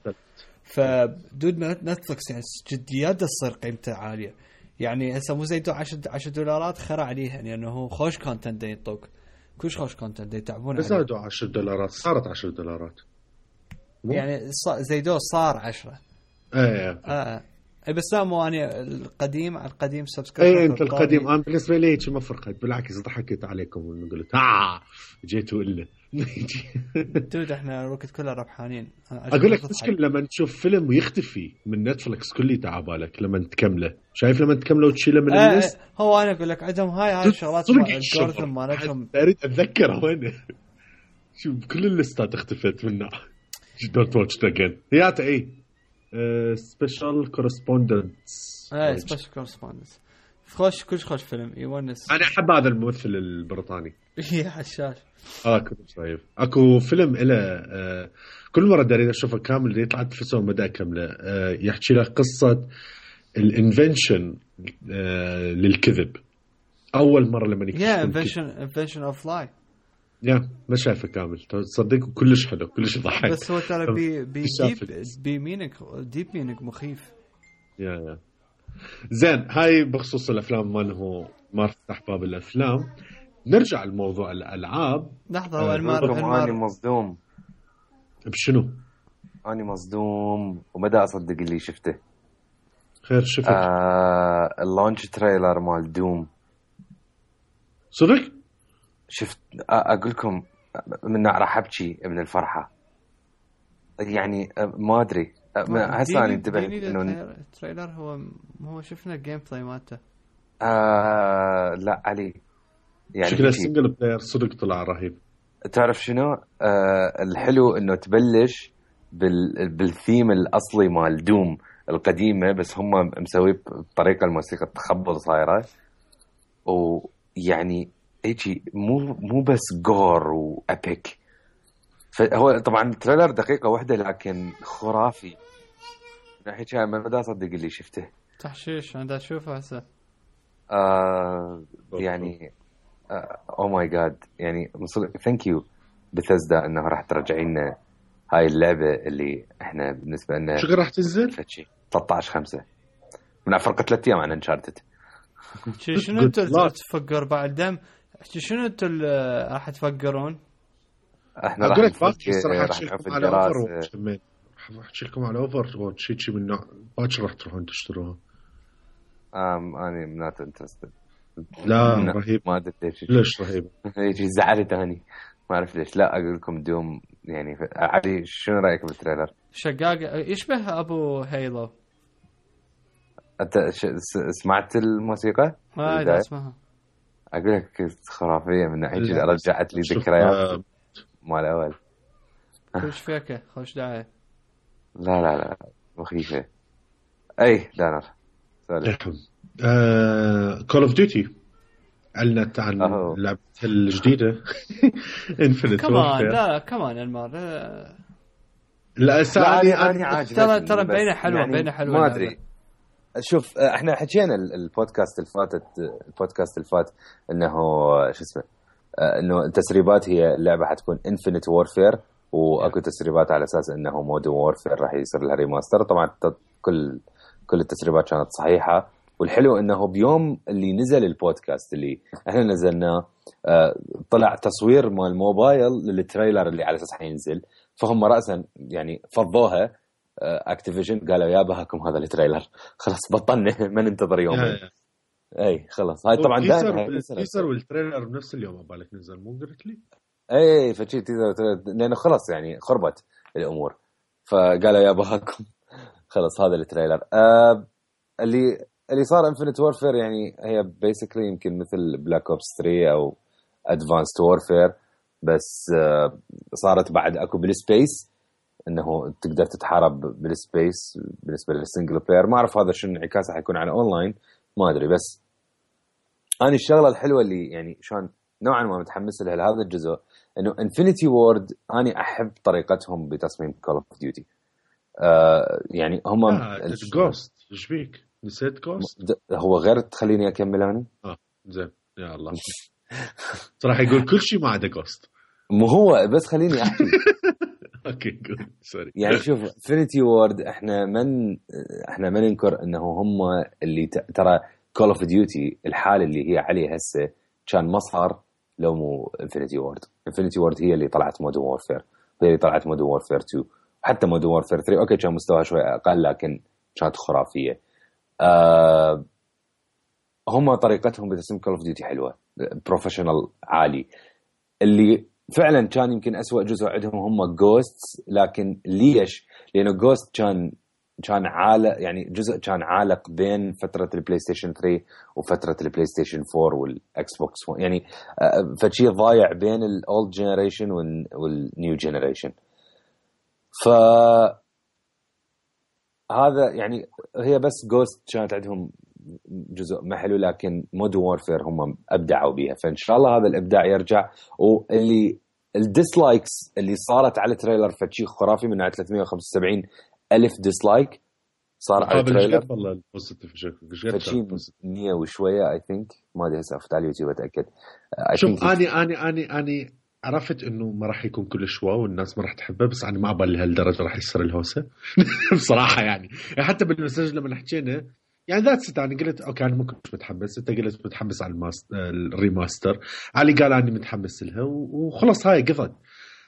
فدود نتفلكس يعني جديات تصير قيمته عاليه يعني هسه مو زي $10 خرع عليها يعني انه خوش كونتنت يطوك كلش خوش كونتنت يتعبون بس زادوا $10 صارت $10 يعني زيدو صار 10 بس لا مو أنا القديم سبسكرايب أنت القديم أنا بالنسبة لي ما فرقت بالعكس ضحكت عليكم وقلت جيتوا إلا دود إحنا الوقت كله ربحانين. أقول لك مشكلة لما تشوف فيلم ويختفي من نتفلكس كله تعبالك لما تكمله شايف لما تكمله وتشيله من الليست هو أنا أقول لك عندهم هاي الشغلات الجورثم مالتهم أريد أتذكر وين شوف كل الليستات اختفت منها don't watch it again هي أي سبيشال كورسبوندنس سبيشال كورسبوندنس خوش كلش خوش فيلم يونس. أنا أحب هذا الممثل البريطاني يا حشاش كنت شايف اكو فيلم إله كل مرة داري أشوفه كامل يطلع تفسه ومدى كاملة يحكي لك قصة الانفنشن للكذب أول مرة لما انفنشن اوف لاي ما شايفه كامل تصدق كلش حلو كلش يضحك بس هو ترى ديب مينك مخيف يا زين. هاي بخصوص الأفلام ماله ما فتح باب الأفلام. نرجع لموضوع الألعاب. لحظة أنا مصدوم بشنو؟ أنا مصدوم ومدى أصدق اللي شفته. خير شفت اللانش تريلر مال دوم صدق؟ شفت أقولكم من راح أبكي من الفرحة يعني ما أدري هسه أنا انتبهت إنه التريلر هو شفنا الجيم بلاي مالته لا علي يعني شكله سنجل بلاير صدق طلع رهيب. تعرف شنو الحلو إنه تبلش بالثيم الأصلي مال دوم القديمة بس هم مسوي بطريقة الموسيقى تخبل صايرة ويعني هيجي مو بس جور وأبيك. فهو طبعا التريلر دقيقة واحدة لكن خرافي ناحية شيء ما بدي أصدق اللي شفته تحشيش عندها أشوفه هسه يعني أو ماي جاد يعني ثانك يو بثزدا إنه راح ترجعينا هاي اللعبة اللي إحنا بالنسبة لنا شو راح تنزل 13/5 من فرق 3 أيام عن انشارتد. شنو أنتوا تفكر بعد دم شنو أنتوا راح تفكرون؟ احنا راح نفكر راح نشوف الدراسة راح احكي لكم على اوفر واتش شيء من نوع باكر راح تروحون تشتروها. انا نوت انترستد. لا رهيب ما ادري ليش رهيب يجي زعلت اني ما اعرف ليش. لا اقول لكم دوم يعني علي شنو رايك بالتريلر؟ شقاق يشبه ابو هيلو. انت سمعت الموسيقى؟ ما اسمها اقول لك خرافيه من ناحيه رجعت لي ذكريات مال اول. خوش فيك خوش داعي. لا مخيفه. اي دانر كول اوف ديوتي اعلنت عن لعبتها الجديده انفينيت كمان. لا كمان المره لا أنا عاجبني ترى بينه حلوه يعني بينه حلوه ما ادري شوف احنا حكينا البودكاست اللي فات انه شو اسمه انه التسريبات هي اللعبه حتكون انفينيت وورفير، واكو تسريبات على اساس انه مودرن وورفير راح يصير لها ريماستر. طبعا كل التسريبات كانت صحيحه، والحلو انه بيوم اللي نزل البودكاست اللي احنا نزلناه طلع تصوير مال الموبايل للتريلر اللي على اساس حينزل، فهم راسا يعني فضوها اكتيفيجن قالوا يابا هاكم هذا التريلر خلاص بطلنا ما ننتظر يومين. اي خلاص هاي طبعا تيزر والتريلر بنفس اليوم بالك نزل مو قلت لي اي فشي تيزر لانه خلاص يعني خربت الامور، فقالوا يابا هاكم خلاص هذا التريلر. اللي صار انفينيت وورفير يعني هي بيسكلي يمكن مثل بلاك اوبس 3 او ادفانسد وورفير، بس صارت بعد اكو بالسبيس انه تقدر تتحارب بالسبيس. بالنسبه للسنجل بلاير ما اعرف هذا شنو انعكاسه حيكون على اونلاين ما ادري، بس انا الشغله الحلوه اللي يعني شلون نوعا ما متحمس لها لهذا الجزء انه انفينيتي وورد اني احب طريقتهم بتصميم كول اوف ديوتي. يعني هم جوست ايش بيك نسيت جوست هو غير تخليني اكمل انا زين يا الله صراحه يقول كل شيء ما عدا جوست مو هو بس خليني احكي اوكي جود سوري. يعني شوف انفينيتي وورد احنا ما ننكر انه هم اللي ترى كول اوف ديوتي الحاله اللي هي عليه هسه كان مصهر لو مو انفينيتي وورد هي اللي طلعت مودرن وورفير، هي اللي طلعت مودرن وورفير 2 حتى مودرن وورفير 3 اوكي كان مستواها شوي اقل لكن كانت خرافيه. هم طريقتهم بتصميم كول اوف ديوتي حلوه بروفيشنال عالي. اللي فعلا كان يمكن أسوأ جزء عندهم هم جوستس، لكن ليش؟ لانه جوست كان عالق يعني جزء كان عالق بين فتره البلاي ستيشن 3 وفتره البلاي ستيشن 4 والاكس بوكس يعني فشي ضايع بين الاولد جنريشن والنيو جنريشن. ف هذا يعني هي بس جوست كانت عندهم جزء ما حلو، لكن مودرن وورفير هم ابدعوا بيها، فان شاء الله هذا الابداع يرجع. واللي الديسلايكس اللي صارت على التريلر فشي خرافي من 375 ألف ديسلايك صار على التريلر والله البوزيتيف فشي 100 وشويه اي ثينك ما ادري هسه افوت على اليوتيوب اتاكد. شوف اني عرفت انه ما راح يكون كلش واو والناس ما راح تحبه، بس انا ما بالي هالدرجه راح يصير الهوسه بصراحه يعني حتى بالمسج لما حكينا يعني ذاتس انا قلت اوكي انا ممكن مش متحمس، انت قلت متحمس على الريماستر، علي قال اني متحمس لها وخلص هاي قضت.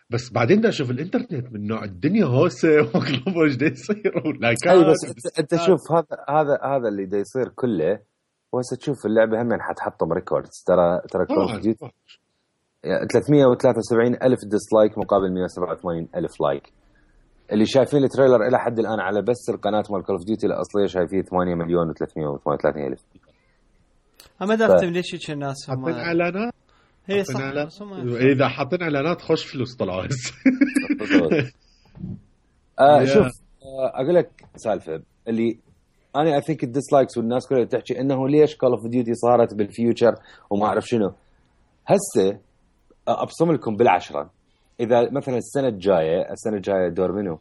بس بعدين دا اشوف الانترنت من نوع الدنيا هوسه واقلب وش دا يصير اي بس انت شوف هذا اللي دا يصير كله وهسه تشوف اللعبه هم حتحطم ريكوردز. ترى كول اوف ديوتي 373 ألف ديسلايك مقابل 187 ألف لايك. اللي شايفين التريلر الى حد الان على بس القناه مال كول اوف ديوتي الاصليه شايفين 8 مليون و338 الف. ما درتم ليش الناس هم حاطين اعلانات هي صح اذا حاطين اعلانات خوش فلوس طلعوا شوف اقول لك سالفه اللي انا اثينك الديسلايكس والناس كلها تحكي انه ليش كول اوف ديوتي صارت بالفيوتشر وما اعرف شنو. هسه ابصم لكم بالعشره اذا مثلا السنه الجايه دور منو؟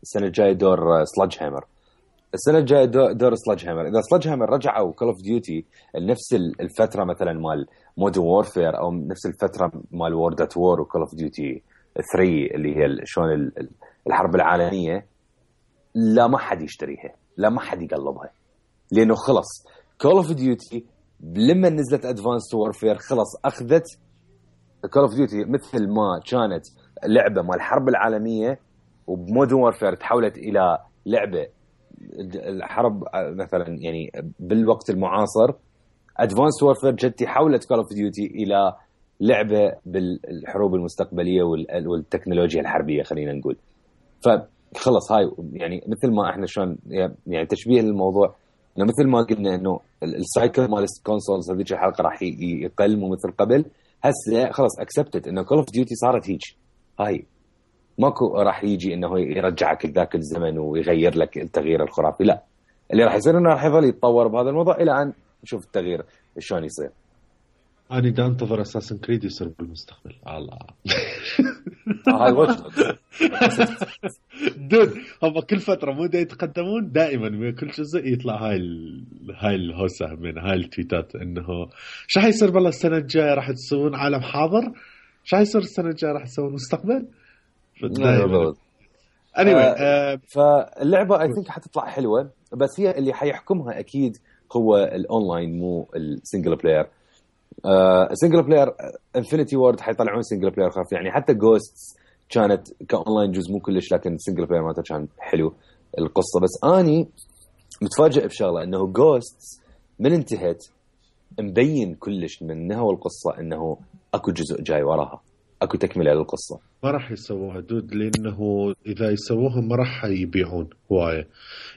السنه الجايه دور سلاج هامر. السنه الجايه دور سلاج هامر. اذا سلاج هامر رجعوا كول اوف ديوتي لنفس الفتره مثلا مال مودرن وورفير او نفس الفتره مال وورد ات وور وكول اوف ديوتي 3 اللي هي شلون الحرب العالميه، لا ما حد يشتريها، لا ما حد يقلبها، لانه خلص كول اوف ديوتي لما نزلت ادفانسد وورفير خلص اخذت كول اوف ديوتي مثل ما كانت لعبه مال الحرب العالميه وبمودرن وورفير تحولت الى لعبه الحرب مثلا يعني بالوقت المعاصر. ادفانسد وورفير جتي حولت كول اوف ديوتي الى لعبه بالحروب المستقبليه والتكنولوجيا الحربيه خلينا نقول. فخلص هاي يعني مثل ما احنا شلون يعني تشبيه للموضوع انه مثل ما قلنا انه السايكل مال الكونسولز هذيك الحلقه راح يقل مو مثل قبل. هسه خلاص اكسبتد انه كول اوف ديوتي صارت هيك، هاي ماكو راح يجي انه يرجعك لذاك الزمن ويغير لك التغيير الخرافي، لا اللي راح يصير انه راح يظل يتطور بهذا الموضوع الى ان نشوف التغيير شلون يصير. انا دا انتظر اساسن كريد يصير بالمستقبل. الله هاي واتش دود هم كل فتره مو دا يتقدمون دائما من كل جزء يطلع هاي الهوسه من هاي التويتات انه شو حيصير بالله السنه الجايه راح تسوون عالم حاضر، شو حيصير السنه الجايه راح تسوون مستقبل. anyway فاللعبه اي ثينك حتطلع حلوه، بس هي اللي حيحكمها اكيد هو الاونلاين مو السنجل بلاير. سنجل بلاير انفينيتي وورد حيطلعون سنجل بلاير خاف، يعني حتى جوستس كانت كاونلاين جزء مو كلش، لكن السنجل بلاير مالته كان حلو القصه. بس اني متفاجئ بشغله انه جوستس من انتهت مبين كلش منها والقصه انه اكو جزء جاي وراها، اكو تكمله للقصه. ما راح يسووها دود لانه اذا يسووها ما راح يبيعون هوايه،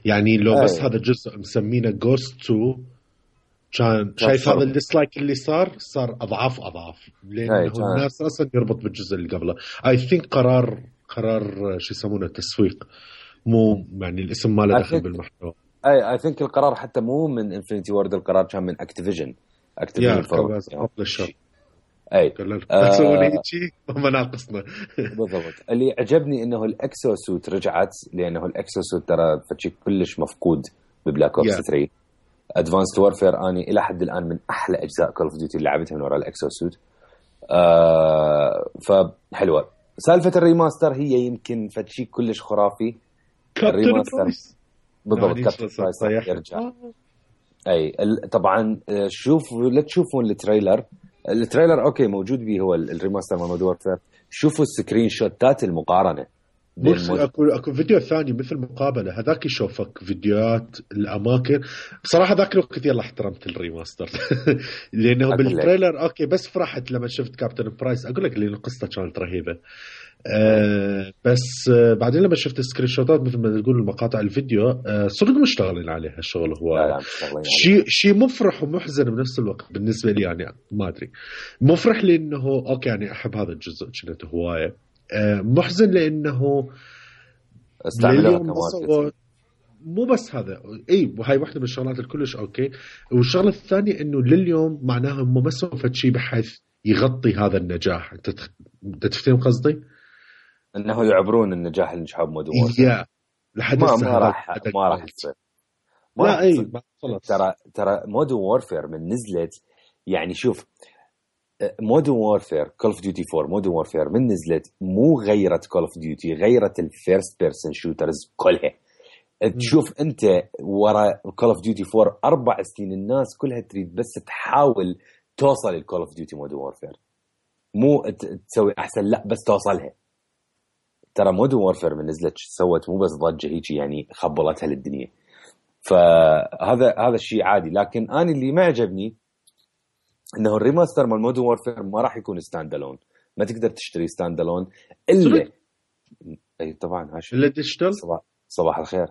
يعني لو بس هذا الجزء مسمينه جوست 2 كان شايف هذا الديسلايك اللي صار اضعاف لانه الناس اصلا يربط بالجزء اللي قبله. اي ثينك قرار شو يسمونه تسويق، مو يعني الاسم ماله دخل بالمحتوى. اي ثينك القرار حتى مو من انفينيتي وورد، القرار كان من اكتيفيجن اي تسوون هيك ما ناقصنا. بالضبط. اللي عجبني انه الاكسو سوت رجعت، لانه الاكسو سوت ترى فتشي كلش مفقود ببلاك اوبس 3. ادفانسد وورفير اني الى حد الان من احلى اجزاء كول اوف ديوتي اللي لعبتها من وراء الاكسو سوت. فحلوه سالفه الريماستر، هي يمكن فتشي كلش خرافي. الريماستر بالضبط كابتن برايس يرجع. اي طبعا لا تشوفون التريلر اوكي موجود به هو الريماستر مال مود وورفير. شوفوا السكرين شوتات المقارنه. اكو فيديو ثاني مثل مقابله، هذاك يشوفك فيديوهات الاماكن. بصراحه ذاك الوقت يلا احترمت الريماستر لانه بالتريلر اوكي بس فرحت لما شفت كابتن برايس. اقول لك لان القصه كانت رهيبه. بس بعدين لما شفت السكرين شوتات مثل ما تقول المقاطع الفيديو صدق مشتغلين عليها الشغل. هو شيء مفرح ومحزن بنفس الوقت بالنسبه لي. يعني ما ادري مفرح لانه اوكي يعني احب هذا الجزء كنت هوايه، محزن لانه استعملوها مو بس هذا. اي وهي واحده من الشغلات الكلش اوكي. والشغله الثانيه انه لليوم معناها هم ما سووا شيء بحيث يغطي هذا النجاح. انت تفهم قصدي؟ انه يعبرون النجاح اللي نجحوا بمود وورفير. لحد ما راح يصير. لا اي ترى مود وورفير من نزلت، يعني شوف مودرن وورفير كول اوف ديوتي 4 مودرن وورفير من نزلت مو غيرت كول اوف ديوتي، غيرت الفيرست بيرسون شوترز كلها. تشوف انت ورا كول اوف ديوتي 4 4 سنين الناس كلها تريد بس تحاول توصل للكول اوف ديوتي مودرن وورفير، مو تسوي احسن، لا بس توصلها. ترى مودرن وورفير من نزلت سوت مو بس ضجه هيك، يعني خبلتها للدنيا. فهذا الشيء عادي. لكن انا اللي ما عجبني انه الريماستر مال مودرن وورفير ما راح يكون ستاند الون، ما تقدر تشتري ستاند الون الا اي طبعا هاشم الا ديجيتال. صباح الخير.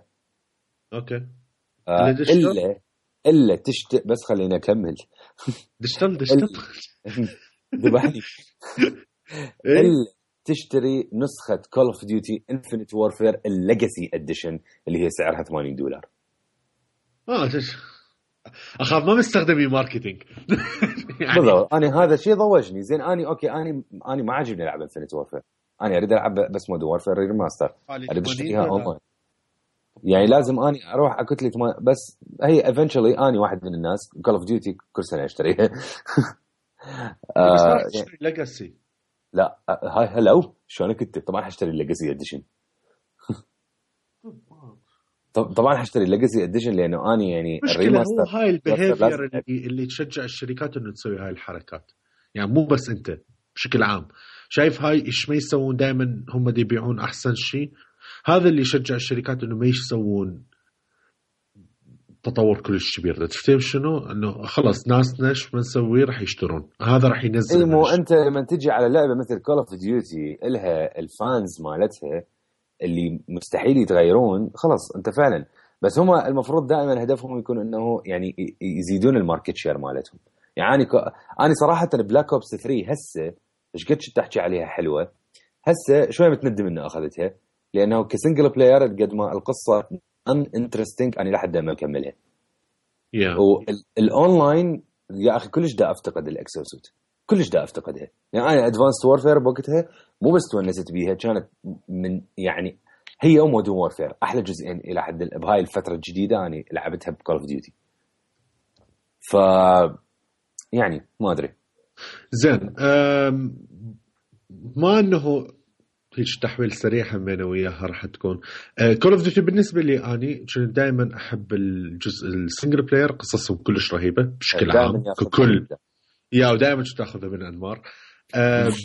اوكي الا تشتري، بس خليني اكمل. ديجيتال ذبحني. الا تشتري نسخه كول اوف ديوتي انفينيت وورفير الليجاسي اديشن اللي هي سعرها $80. اخاف ما مستخدمي ماركتينج يعني. بالضبط. انا هذا الشيء ضوجني زين. اني اوكي اني ما عاجبني العب انفينيت وورفير، انا اريد العب بس مود وورفير ريماستر، اريد اشتريها اونلاين. يعني لازم اني اروح اكتلي بس هي ايفنتشولي اني واحد من الناس كول اوف ديوتي كل سنه اشتريها. بس ما تشتري ليجاسي. لا هاي هلو شلونك كنت طبعا حاشتري الليجاسي اديشن. طبعا حاشتري الليجاسي اديشن لانه اني يعني الريماستر هو هاي البيهيفير اللي تشجع الشركات انه تسوي هاي الحركات. يعني مو بس انت بشكل عام شايف هاي ايش ما يسوون دائما هم دي يبيعون احسن شيء. هذا اللي يشجع الشركات انه ما يسوون تطور كلش كبير. تفهم شنو؟ انه خلص ناسنا ايش بنسوي راح يشترون، هذا راح ينزل. مو انت لما تجي على لعبه مثل كول اوف ديوتي لها الفانز مالتها اللي مستحيل يتغيرون، خلاص انت فعلا. بس هم المفروض دائما هدفهم يكون انه يعني يزيدون الماركت شير مالتهم. يعني انا صراحه بلاك اوبس 3 هسه ايش قد تحكي عليها حلوه، هسه شويه متندم انه اخذتها لانه كسنجل بلاير قد ما القصه ان انترستينج انا لحد ما اكملها. والاونلاين يا اخي كلش دا افتقد الاكسوسوت، كلش دا افتقدها. يعني انا ادفانسد وورفير بوقتها مو بس تونست بيها، كانت من يعني هي ومودرن وورفير احلى جزئين الى حد بهاي الفتره الجديده اني لعبتها بكول اوف ديوتي. ف يعني ما ادري. زين ما انه هيك تحويل سريع همينه وياها راح تكون كول اوف ديوتي. بالنسبه لي اني كنت دائما احب الجزء السنجل بلاير، قصصهم كلش رهيبه بشكل عام ككل، يا ودائما كنت اخذها من انمار.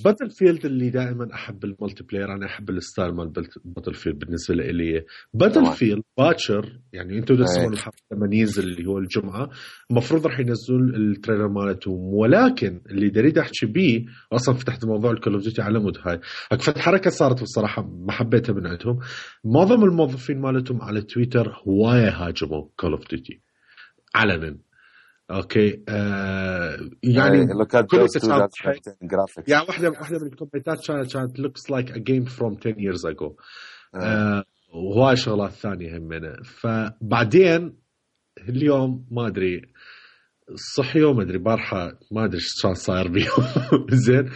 باتل فيلد اللي دائما احب الملتي بلاير، انا احب الستايل مال باتل فيلد. بالنسبه لي باتل فيلد باكر يعني انتم تسمعون الحلقه لما ينزل اللي هو الجمعه المفروض راح ينزلون التريلر مالتهم، ولكن اللي اريد احكي بيه اصلا فتحت موضوع الكول اوف ديوتي على مود هاي اكفت حركه صارت بصراحه ما حبيتها من عندهم. معظم الموظفين مالتهم على تويتر هوايه هاجموا كول اوف ديوتي علنا. اوكي يعني كل يعني واحده من الكومنتات كانت looks like a game from 10 years ago. وهاي شغلات ثانيه همنا. فبعدين اليوم ما ادري صحيوا ما ادري بارحه ما ادري شو صاير بيهم زين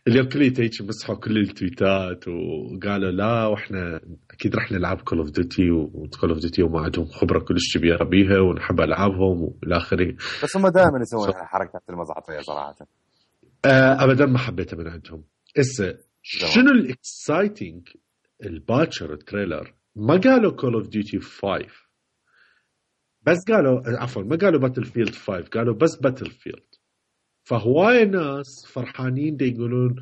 اليوم كليته هيك مسحوا كل التويتات وقالوا لا واحنا اكيد راح نلعب كول اوف ديوتي وكول اوف ديوتي وما عندهم خبره كلش كبيره بيها ونحب العابهم والى اخره. بس هم دائما يسوون حركات المزعطيه صراحه. ابدا ما حبيتها من عندهم. هسه شنو الاكسايتنج الباتشر التريلر ما قالوا كول اوف ديوتي 5 بس قالوا عفوا ما قالوا باتل فيلد 5 قالوا بس باتل فيلد. فهواي ناس فرحانين دي يقولون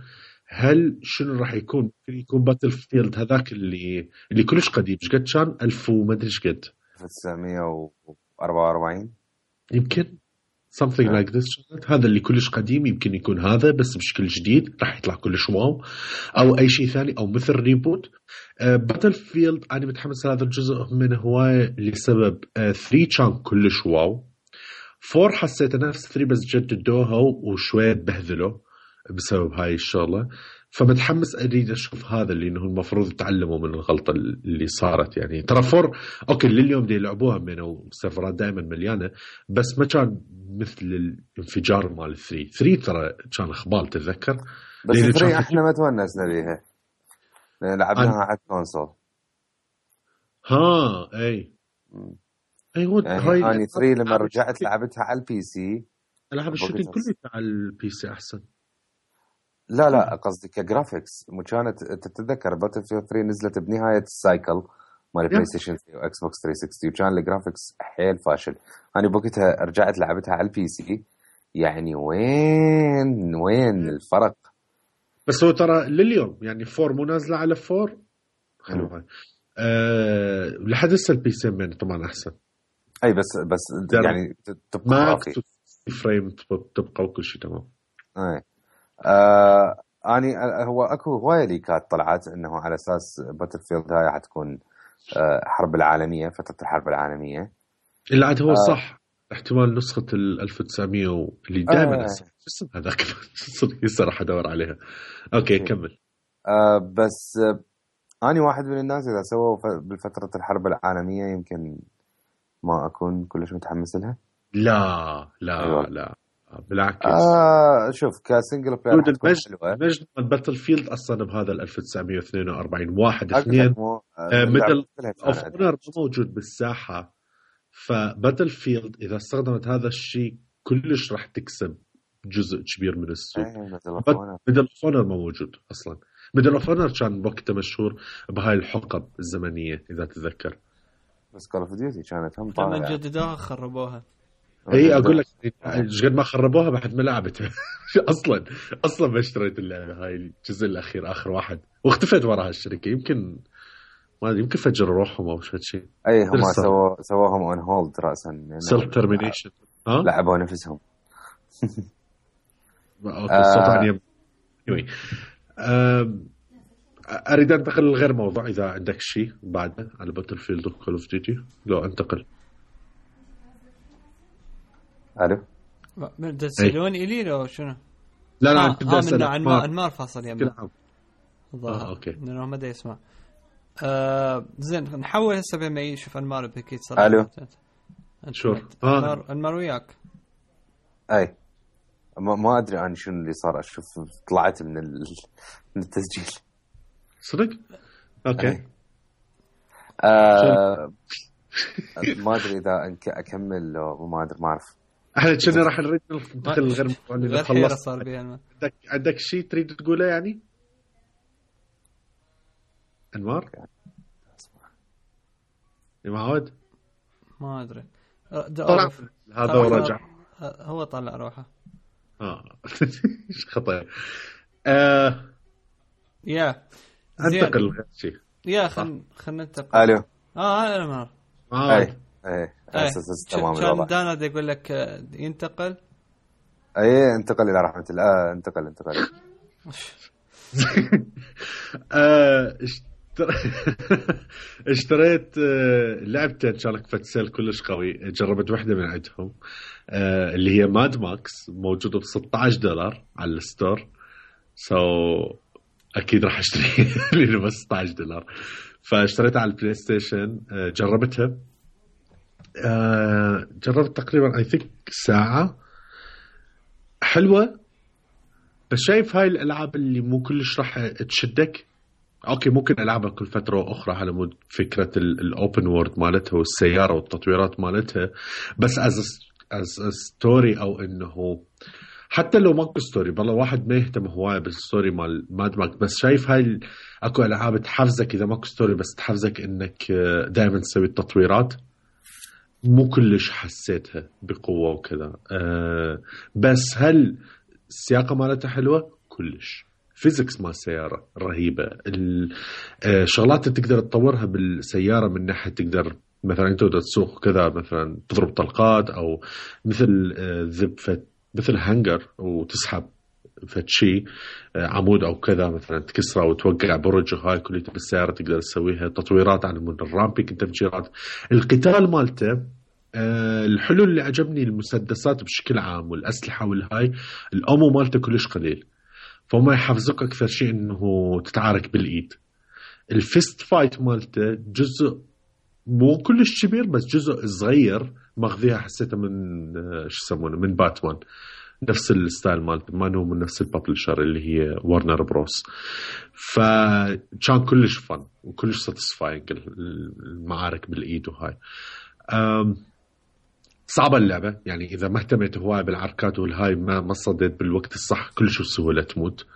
هل شنو راح يكون باتل فيلد هذاك اللي كلش قديم ايش قد كان 1000 وما ادري ايش قد 1944 يمكن something like this. هذا اللي كلش قديم يمكن يكون هذا بس بشكل جديد راح يطلع كلش واو او اي شيء ثاني او مثل ريبوت. باتل فيلد انا متحمس هذا الجزء من هوايه لسبب 3 كان كلش واو. 4 حسيت نفس 3 بس جددوها وشوية بهذلوا بسبب هاي الشغلة. فمتحمس أريد أشوف هذا اللي إنه المفروض يتعلموا من الغلطة اللي صارت. يعني ترى 4 أوكي لليوم دي يلعبوها منه والسيرفرات دائما مليانة بس ما كان مثل الانفجار مال 3 ترى كان خبال تتذكر. بس 3 إحنا ما تونسنا بيها لعبناها على الكونسول. أي ايوه يعني اني 3 لما رجعت لعبتها على البي سي العاب الشوتينج كله على البي سي احسن. لا قصدي كجرافيكس كانت تتذكر باتل فيلد 3 نزلت بنهايه السايكل مال بلاي ستيشن 3 واكس بوكس 360 وكان الجرافيكس حيل فاشل. انا بوقتها رجعت لعبتها على البي سي يعني وين الفرق. بس هو ترى لليوم يعني 4 مو نازله على 4 حلو هاي لحد هسه البي سي من طبعا احسن. اي بس يعني تبقى فريم تبقى وكل شيء تمام. اي اني هو اكو هوايه ليكات طلعت انه على اساس باتل فيلد هاي حتكون حرب العالميه فتره الحرب العالميه اللي عاد هو صح احتمال نسخه 1900 اللي دائما اسم هذاك صراحه ادور عليها. اوكي كمل. بس أنا واحد من الناس إذا سووا بالفترة الحرب العالمية يمكن ما أكون كلش متحمس لها. لا بالعكس. شوف كسنجل بلاير مجد باتل فيلد أصلا بهذا 1942 1 2 مثل أوف أونر موجود بالساحة. فباتل فيلد إذا استخدمت هذا الشيء كلش راح تكسب جزء كبير من السوق. ميدل اوف اونر ما موجود اصلا. ميدل اوف اونر كان وقته مشهور بهاي الحقب الزمنيه اذا تتذكر. بس كول اوف ديوتي كانت هم طالعه لما جددوها خربوها. اي اقول لك قد ما خربوها بعد ما لعبتها اصلا ما اشتريت اللعبه هاي الجزء الاخير اخر واحد واختفيت وراها الشركه. يمكن ما يمكن فجروا روحهم او شيء. اي هم سووهم اون هولد راسا سيلف ترمينيشن. لعبوا نفسهم. اوكي الصوت عني. اريد انتقل لغير موضوع اذا عندك شيء بعده على باتل فيلد وكول اوف ديوتي. لو انتقل الو تسالون الي لو شنو؟ لا كنت اسال انمار فاصل يمنا. اوكي لانه ما دا يسمع. زين نحول هسه بما يشوف انمار بكيت صراحه. الو شور انمار وياك. اي ما ادري انا شنو اللي صار. اشوف طلعت من التسجيل صدق. اوكي. ما ادري اذا اكمل لو ما ادري، ما اعرف. احنا كنا راح نريد ندخل غير غير حيرة صار بيها. عندك شيء تريد تقوله يعني انمار؟ يا معود ما ادري طلع هذا ورجع. هو طلع روحه. ايش خطأ. يا انتقل غير شيء. يا خلنا ننتقل. الو. انا ما اي اساس تمام الوضع. كان دانا يقول لك ينتقل. اي انتقل الى رحمه الله. انتقل اشتريت لعبتين كانت فتسيل كلش قوي. جربت واحدة من عندهم اللي هي ماد ماكس، موجودة $16 على الستور. أكيد راح أشتري لأنه بس $16. فاشتريتها على البلاي ستيشن. جربتها. جربت تقريبا I think ساعة. حلوة، بس شايف هاي الألعاب اللي مو كلش راح تشدك. اوكي ممكن العبها كل فتره اخرى على مود فكره الاوبن وورد مالتها والسياره والتطويرات مالتها، بس از ستوري او انه حتى لو ماكو ستوري بالله واحد ما يهتم هوايه بالستوري مال ماد ماكس. بس شايف هاي اكو العاب تحفزك اذا ماكو ستوري، بس تحفزك انك دائما تسوي التطويرات. مو كلش حسيتها بقوه وكذا. بس هل السياقه مالتها حلوه كلش. فيزيكس مال السيارة رهيبة. الشغلات اللي تقدر تطورها بالسيارة من ناحية تقدر مثلا انت تسوق كذا، مثلا تضرب طلقات او مثل مثل هانجر وتسحب فتشي عمود او كذا مثلا تكسره وتوقع برج. هاي كلها بالسيارة تقدر تسويها. تطويرات عن الرامبيك التفجيرات. القتال مالته الحلو اللي عجبني المسدسات بشكل عام والأسلحة والهاي الأمو مالته كلش قليل، فما يحفزك أكثر شيء إنه تتعارك بالإيد. الفيست فايت مالته جزء مو كلش كبير بس جزء صغير ماخذيها حسيته من شو يسمونه من باتمان، نفس الستايل مالته ما هو من نفس البابلشر اللي هي وارنر بروس. فكان كلش فن وكلش ساتسفاينج المعارك بالإيد وهاي. صعبة اللعبة يعني إذا ما اهتميت هواي بالعركات والهاي ما صديت بالوقت الصح كلش بسهولة تموت.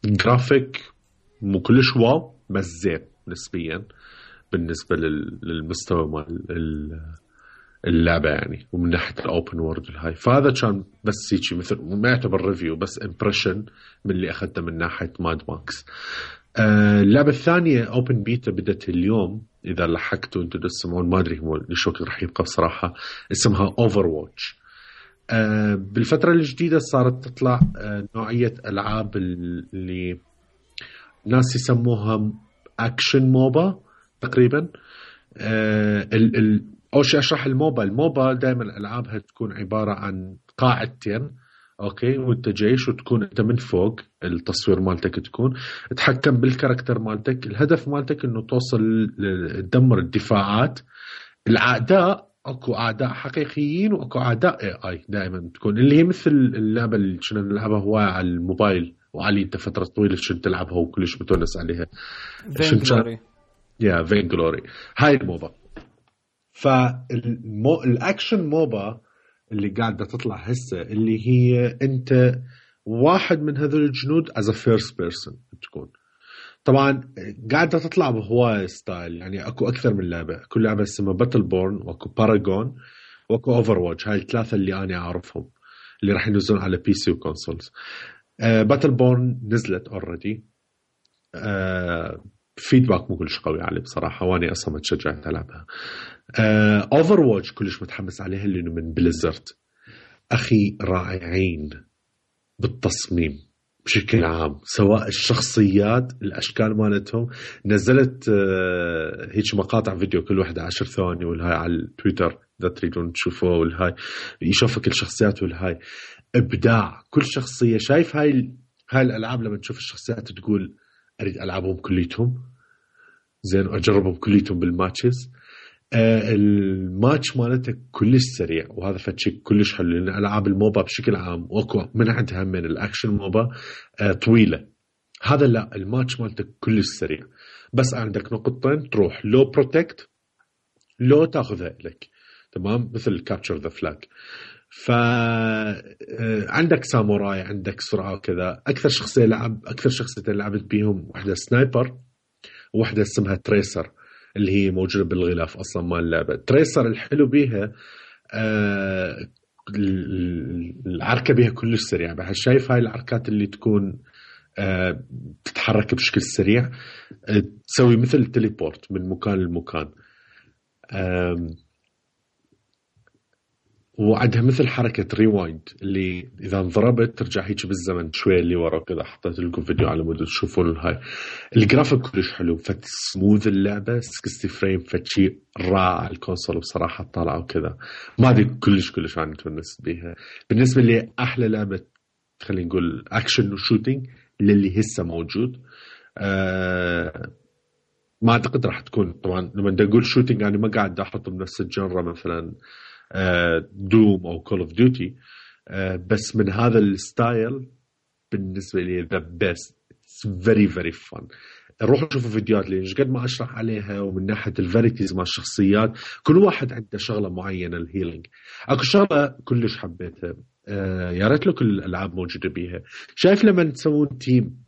جرافيك مو كلش واو بس زين نسبيا بالنسبة للمستوى مال اللعبة يعني، ومن ناحية الأوبن وورد والهاي. فهذا كان بس هيك مثل ما يعتبر ريفيو بس امبريشن من اللي أخذته من ناحية ماد ماكس. اللعبة الثانية أوبن بيتا بدت اليوم إذا لحقتوا أنتوا تسمعون، ما أدري هو ليش وقت رح يبقى بصراحة. اسمها Overwatch. بالفترة الجديدة صارت تطلع نوعية ألعاب اللي ناس يسموها أكشن موبا تقريبا. أول شيء أشرح الموبا دائما ألعابها تكون عبارة عن قاعدتين اوكي وانت جيش وتكون انت من فوق. التصوير مالتك تكون تتحكم بالكاركتر مالتك. الهدف مالتك انه توصل تدمر الدفاعات. الاعداء اكو اعداء حقيقيين واكو اعداء اي دائما تكون اللي هي مثل اللعبه اللي كنا نلعبها هوايه على الموبايل وعلي انت فتره طويله كنت تلعبها وكلش متونس عليها. فين جلوري هاي الموبا. فالاكشن موبا اللي قاعدة تطلع هسه اللي هي أنت واحد من هذول الجنود as a first person تكون. طبعا قاعدة تطلع بهواية ستايل يعني أكو أكثر من لعبة. كل لعبة اسمها باتل بورن وأكو باراغون وأكو أوفرواتش. هاي الثلاثة اللي أنا أعرفهم اللي راح ينزلون على بي سي وكونسولز. باتل بورن نزلت already. فيدباك مو كلش قوي عليه بصراحة واني أصلا ما تشجعت ألعبها. Overwatch كلش متحمس عليها لأنه من بليزرد. أخي رائعين بالتصميم بشكل عام سواء الشخصيات الأشكال مالتهم. نزلت هيك مقاطع فيديو كل واحدة 10 ثواني والهاي على التويتر إذا تريدون تشوفوه والهاي يشوفك الشخصيات والهاي إبداع. كل شخصية شايف هاي الألعاب لما تشوف الشخصيات تقول أريد ألعبهم كليتهم زين أجربهم كليتهم بالماتشز. الماتش مالته كلش سريع، وهذا فشي كلش حلو، لأن ألعاب الموبا بشكل عام وأكو من عندها من الأكشن موبا طويلة. هذا لا، الماتش مالته كلش سريع، بس عندك نقطتين تروح لو بروتكت لو تاخذها لك، تمام، مثل كابتشر ذا فلاج. فعندك ساموراي، عندك سرعة وكذا. أكثر شخصيتين لعبت بيهم واحدة سنايبر وواحدة اسمها تريسر اللي هي موجودة بالغلاف أصلا مال اللعبة. تريسر الحلو بيها العركة بيها كلش سريع، بحس شايف هاي العركات اللي تكون تتحرك بشكل سريع، تسوي مثل تليبورت من مكان لمكان، وعندها مثل حركة ريوايند اللي إذا انضربت ترجع هيك بالزمن شوية اللي ورا كذا. حطيت لكم فيديو على مود تشوفون هاي. الجرافيك كلش حلو، فت سموذ اللعبة 60 فريم، فتشي رائع. الكونسول بصراحة طالعة وكذا، ما أدري كلش أنا تونس بيها. بالنسبة لي أحلى لعبة خلينا نقول أكشن وشوتينج للي هسه موجود. ما أعتقد راح تكون، طبعا لما نقول شوتينج يعني ما قاعد أحط بنفس الجنرة مثلا دوم أو كول اوف ديوتي، بس من هذا الستايل بالنسبة لي the best. It's very very fun. روحوا شوفوا فيديوهات ليش قد ما أشرح عليها، ومن ناحية الفاريتيز مع الشخصيات كل واحد عنده شغلة معينة. الهيلينج أكو شغلة كلش حبيتها، يا ريت لك الألعاب موجودة بيها. شايف لما تسوون تيم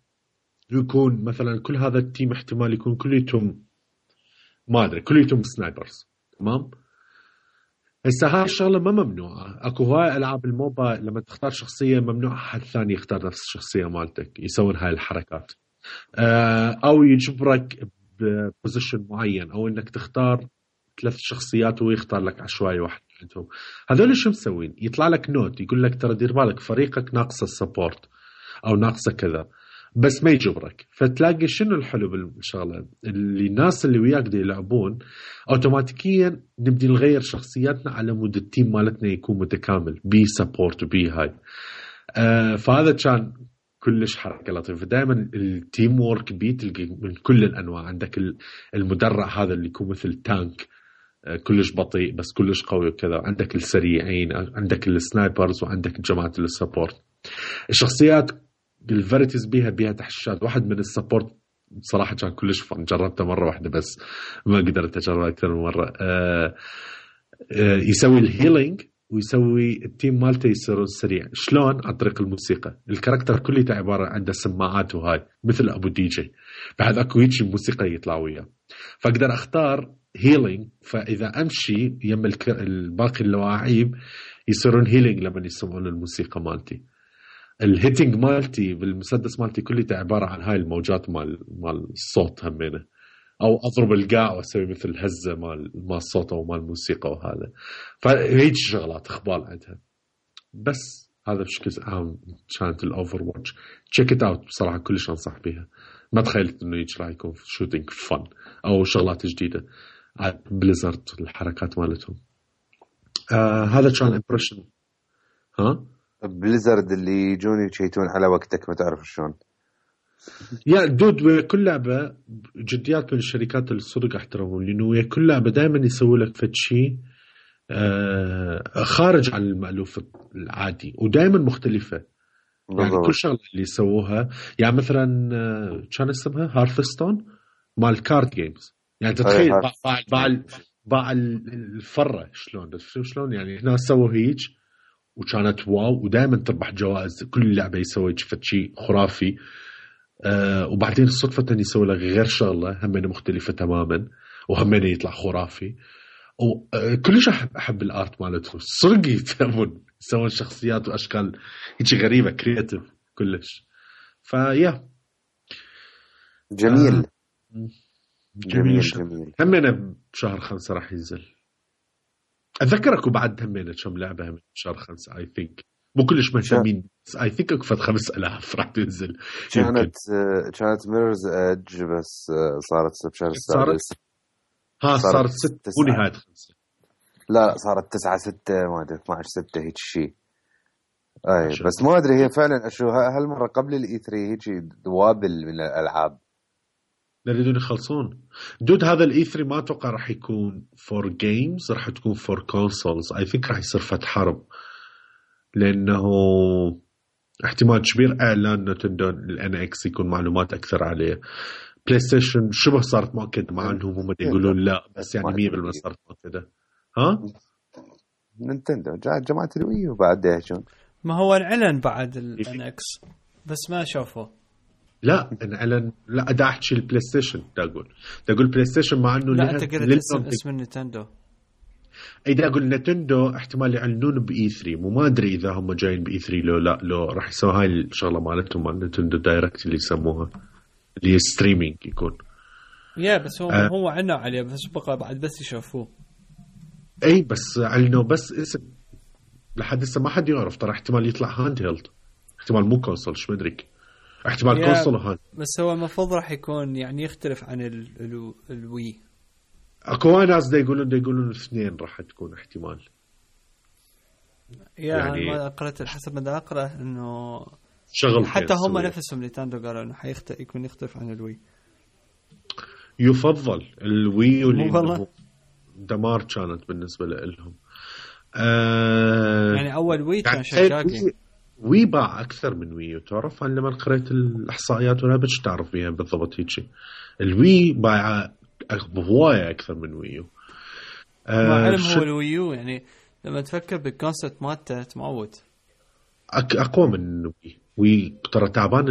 يكون مثلا كل هذا التيم احتمال يكون كليتهم ما أدري كليتهم سنايبرز، تمام؟ هسه هاي الشغلة ما ممنوعة. اكو هواي العاب الموبا لما تختار شخصية ممنوع حد ثاني يختار نفس الشخصية مالتك يسوون هاي الحركات، او يجبرك ببوزيشن معين، او انك تختار 3 شخصيات ويختار لك عشوائي واحد منهم. هذول شو مسوين؟ يطلع لك نوت يقول لك ترى دير بالك فريقك ناقص السبورت او ناقصه كذا، بس ما يجبرك. فتلاقي شنو الحلو بالشغله اللي الناس اللي وياك دي يلعبون اوتوماتيكيا نبدي نغير شخصياتنا على مود التيم مالتنا يكون متكامل بي سبورت وبي هاي. فهذا كان كلش حركه لطيفه. دائما التيم وورك بيتلقى من كل الانواع. عندك المدرع هذا اللي يكون مثل تانك كلش بطيء بس كلش قوي وكذا، عندك السريعين، عندك السنايبرز، وعندك جماعه السبورت. الشخصيات الفاريتيز بيها تحشيشات. واحد من السبورت بصراحة كان كلش فن، جربته مرة واحدة بس ما قدرت أجربها أكثر من مرة. يسوي الهيلينج ويسوي التيم مالته يصير سريع. شلون؟ عن طريق الموسيقى. الكاركتر كله عبارة عنده سماعات وهاي مثل أبو دي جي، بعد أكو هيك موسيقى يطلع وياه، فأقدر أختار هيلينج. فإذا أمشي يم الباقي اللواعيب يصيرون هيلينج لما يسمعون الموسيقى مالتي. الهيتنج مالتي بالمسدس مالتي كله عبارة عن هاي الموجات مال الصوت همينه، أو أضرب القاع وأسوي مثل هزة مال الصوت أو مال الموسيقى وهذا. فهيج شغلات إخبال عندها. بس هذا بشكل عام كانت الأوفر واتش. تشيك إت أوت بصراحة كلش أنصح بيها. ما تخيلت إنه يجي راح يكون شوتينج فن أو شغلات جديدة. بليزرد الحركات مالتهم. هذا كان إمبريشن. بليزرد اللي يجون يشيتون على وقتك ما تعرف شلون. يا دود كل لعبة جديات من الشركات الصدق احترمهم، لأنه كل لعبة دائما يسوي لك فشي خارج عن المألوف العادي ودائما مختلفة. يعني كل شغلة اللي يسووها، يعني مثلا كان اسمها هارفستون مال كارد جيمز. يعني تتخيل باع الفرة شلون يعني هنا سووا هيك وكانت واو، ودائما تربح جوائز. كل لعبة يسوي شيء خرافي. وبعدين صدفة يسوي لك غير شغلة همين مختلفة تماما وهمين يطلع خرافي. وكلش أحب الآرت مالتهم صدق. يسوون شخصيات وأشكال هيك غريبة كرياتيف كلش. فيا جميل. جميل. همين بشهر 5 راح ينزل. أذكرك وبعد همين كم لعبة همين بشهر 5 I think. مو كلش مهتمين. I think أكفت 5000 راح تنزل. كانت ميررز إدج بس صارت بشهر 6. صارت 6 ونهاية 5. لا صارت 9/6 ما أدري 12/6 هيك شيء. أي بس ما أدري هي فعلا شو هالمرة قبل الإي 3 هيك دوابل من الألعاب. لا يريدون يخلصون دود. هذا الاي 3 ما اتوقع راح يكون فور جيمز، راح تكون فور كونسولز. اي ثينك راح يصير فتح حرب، لانه احتمال كبير اعلان نتندو الان اكس يكون معلومات اكثر عليه. بلاي ستيشن شبه صارت مؤكده، مع انهم هم يقولون لا، بس يعني 100% صارت مؤكده. ها نينتندو جماعه الوي وبعد يهجون. ما هو انعلن بعد الان اكس بس ما شافوه. لا انعلن، لا دا احكي البلاي ستيشن. دا اقول بلاي ستيشن، مع انه لا انت قلت اسم نينتندو. اي دا اقول نينتندو احتمال يعلنون باي 3، مو ما ادري اذا هم جايين باي 3 لو لا، لو راح يسوي هاي الشغله مالتهم مال نينتندو دايركت اللي يسموها، اللي هي ستريمينج يكون. يا بس هو عنا عليه بس بقى بعد بس يشوفوه. اي بس علنوا بس اسم، لحد هسه ما حد يعرف. ترى احتمال يطلع هاند هيلد، احتمال مو كونسول، شو مدري، احتمال كونسول وهاند. بس هو المفروض راح يكون يعني يختلف عن الوي. اكو ناس دا يقولون الاثنين راح تكون احتمال. يعني ما قرأت حسب ما دا اقرأ انه شغل حتى هم نفسهم نينتندو قالوا انه يكون يختلف عن الوي. يفضل الوي والله دمار كانت بالنسبه لهم. يعني اول وي كان شجاكي. وي باع اكثر من ويو، تعرف؟ انا لما قريت الاحصائيات ولا بتش تعرف بيها بالضبط هيك. الوي باع بهوايه اكثر من ويو. ما علم هو الويو يعني لما تفكر بالكونسبت مالته تموت. اقوى من وي ترى تعبان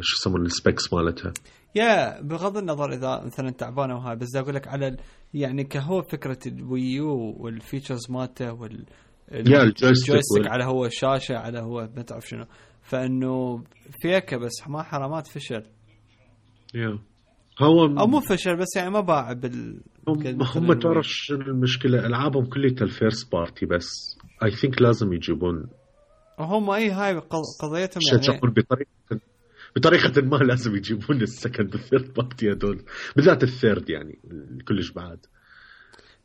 شو يسمون السبيكس مالتها. يا بغض النظر اذا مثلا تعبانه وهاي، بس اقول لك على يعني كهو فكره الويو والفيتشرز مالته الجويستيك على هو الشاشه على هو ما تعرف شنو، فانه فيك بس ما حرامات فشل. هو او مو فشل بس يعني ما باع هم تعرف شنو المشكله؟ العابهم كلها الفيرست بارتي، بس اي ثينك لازم يجيبون هم اي هاي قضيتهم يعني بطريقه ما لازم يجيبون السكند والثيرد بارتي هذول، بالذات الثيرد يعني كلش بعد.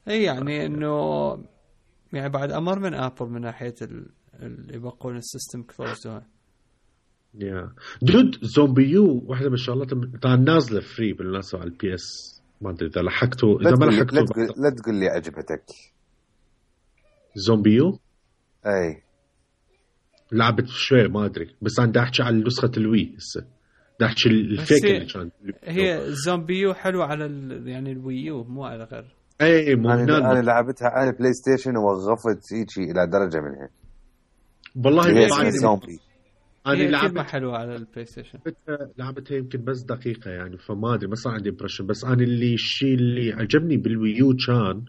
اي يعني انه يعني بعد امر من ابل من ناحيه اللي يبقون السيستم كلوز. دود زومبيو واحده من الشغلات نازله فري بالناس على البي اس، ما ادري اذا لحقته اذا ما لحقته. لا تقول لي عجبتك زومبيو. اي لعبت شوي ما ادري، بس انا دا احكي على نسخه الوي هسه، دا احكي الفيك اللي كان. هي زومبيو حلو على يعني الويو مو على غير. اي مو انا لعبتها على البلاي ستيشن ووقفت هيك الى درجه منها والله. بعد زومبي انا لعبتها حلوه على البلاي ستيشن، لعبتها يمكن بس دقيقه يعني، فما ادري ما صار عندي امبريشن. بس انا الشيء اللي عجبني بالويو كان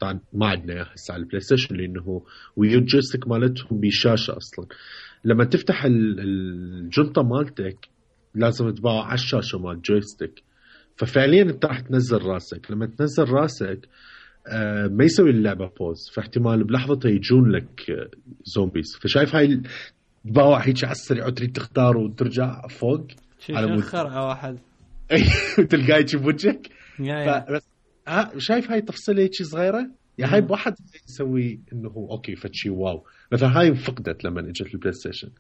طبعا ما عندنا اياه هسه على البلاي ستيشن، لانه ويو جويستيك مالتهم بشاشه اصلا. لما تفتح الجنطه مالتك لازم تباع على الشاشه مال جويستيك، ففعليا انت راح تنزل راسك. لما تنزل راسك ما يسوي اللعبه بوز، فاحتمال بلحظتها يجون لك زومبيز. فشايف هاي تباوع هيك على السريع وتريد تختار وترجع فوق على مود خرعه واحد تلقاه يجي بوجهك. بس شايف هاي تفصيله هيك صغيره يعني. هاي بواحد يسوي انه اوكي فتشي واو. مثلا هاي فقدت لما اجت البلاي ستيشن.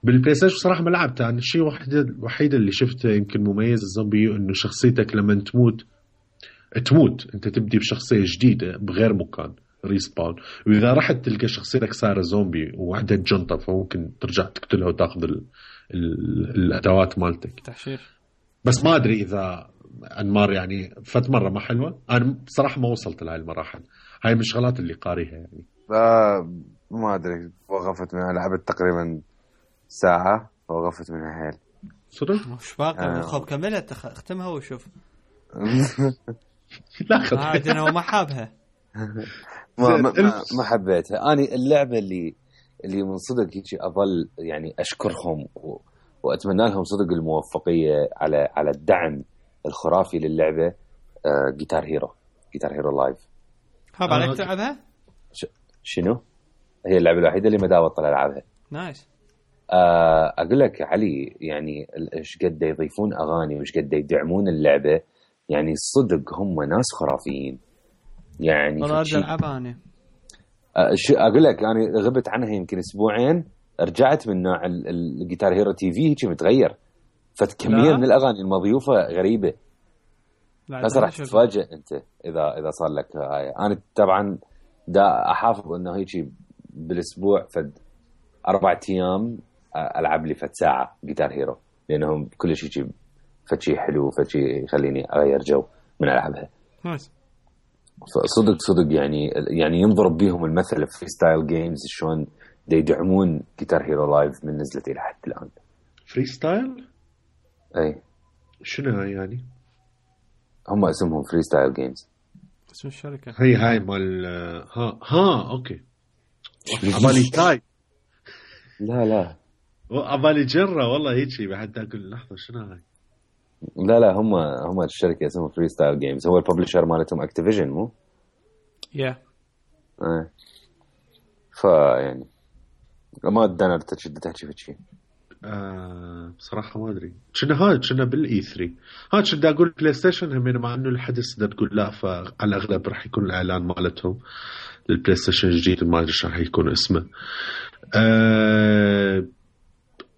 بالبلاي ستيشن صراحه ما لعبتها. انا الشيء الوحيد اللي شفته يمكن مميز الزومبي انه شخصيتك لما تموت انت تبدي بشخصيه جديده بغير مكان ريسباون، واذا رحت تلقى شخصيتك صار زومبي وعندها جنطه فممكن ترجع تقتلها وتاخذ الادوات مالتك تحشير. بس ما ادري اذا انمار يعني فت مره ما حلوه. انا بصراحه ما وصلت لهي المراحل. هاي من الشغلات اللي قاريها يعني. ما ادري وقفت منها، لعبت تقريبا ساعه ووقفت منها حيل صدق. مش باقي خب كملها اختمها وشوف. لا خذ عادنا وما حابها. ما حبيتها. أنا اللعبة اللي من صدق هيك أظل يعني أشكرهم وأتمنى لهم صدق الموفقية على الدعم الخرافي للعبة. جيتار هيرو لايف. حاب عليك تلعبها؟ شنو؟ هي اللعبة الوحيدة اللي ما داوت طلع ألعبها. نايس. أقول لك علي يعني إيش قد يضيفون أغاني وإيش قد يدعمون اللعبة. يعني صدق هم ناس خرافيين يعني. والله أرجع ألعبها أنا. أقول لك أنا غبت عنها يمكن أسبوعين، رجعت من نوع الجيتار هيرو تي في هيك متغير فكميه من الاغاني المضيوفه غريبه. هسه راح شغل. تتفاجئ انت اذا صار لك هاي. انا طبعا دا احافظ انه هيك بالاسبوع فد 4 ايام العب لي فد ساعه جيتار هيرو، لانهم كل شيء فد شيء حلو، فد شيء يخليني اغير جو من العبها. نايس. صدق يعني ينضرب بيهم المثل في فري ستايل جيمز شلون يدعمون جيتار هيرو لايف من نزلت الى حد الان. فري ستايل؟ اي شنو هاي يعني؟ هم اسمهم فري ستايل جيمز. اسم الشركه هاي مال اوكي. عبالي تاي. لا عبالي جرة والله هيك بعد اقول لحظه شنو هاي. لا هم الشركه اسمها فري ستايل جيمز، هو الببلشر مالتهم اكتيفيجن مو؟ فيعني ما ادنا تشد تحكي في شيء. بصراحه ما ادري كنا بالاي 3 كنت اقول بلاي ستيشن هم، مع انه الحدث ده تقول لا، فعلى الاغلب راح يكون الاعلان مالتهم للبلاي ستيشن الجديد ما ادري راح يكون اسمه.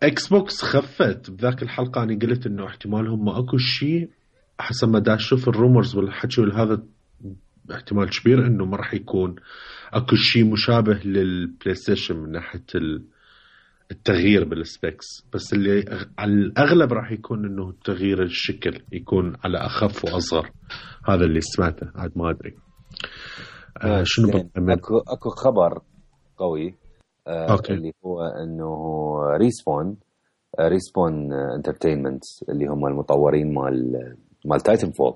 اكس بوكس خفت بذاك الحلقه، انا قلت انه احتمال هم اكو شيء حسب ما دا اشوف الرومرز والحكي هذا، احتمال كبير انه ما راح يكون اكو شيء مشابه للبلاي ستيشن من ناحيه التغيير بالسبيكس، بس اللي على الاغلب راح يكون انه تغيير الشكل يكون على اخف واصغر. هذا اللي سمعته، عاد ما ادري. شنو اكو خبر قوي اللي هو انه ريسبون انترتينمنت اللي هم المطورين مال تايتن فول،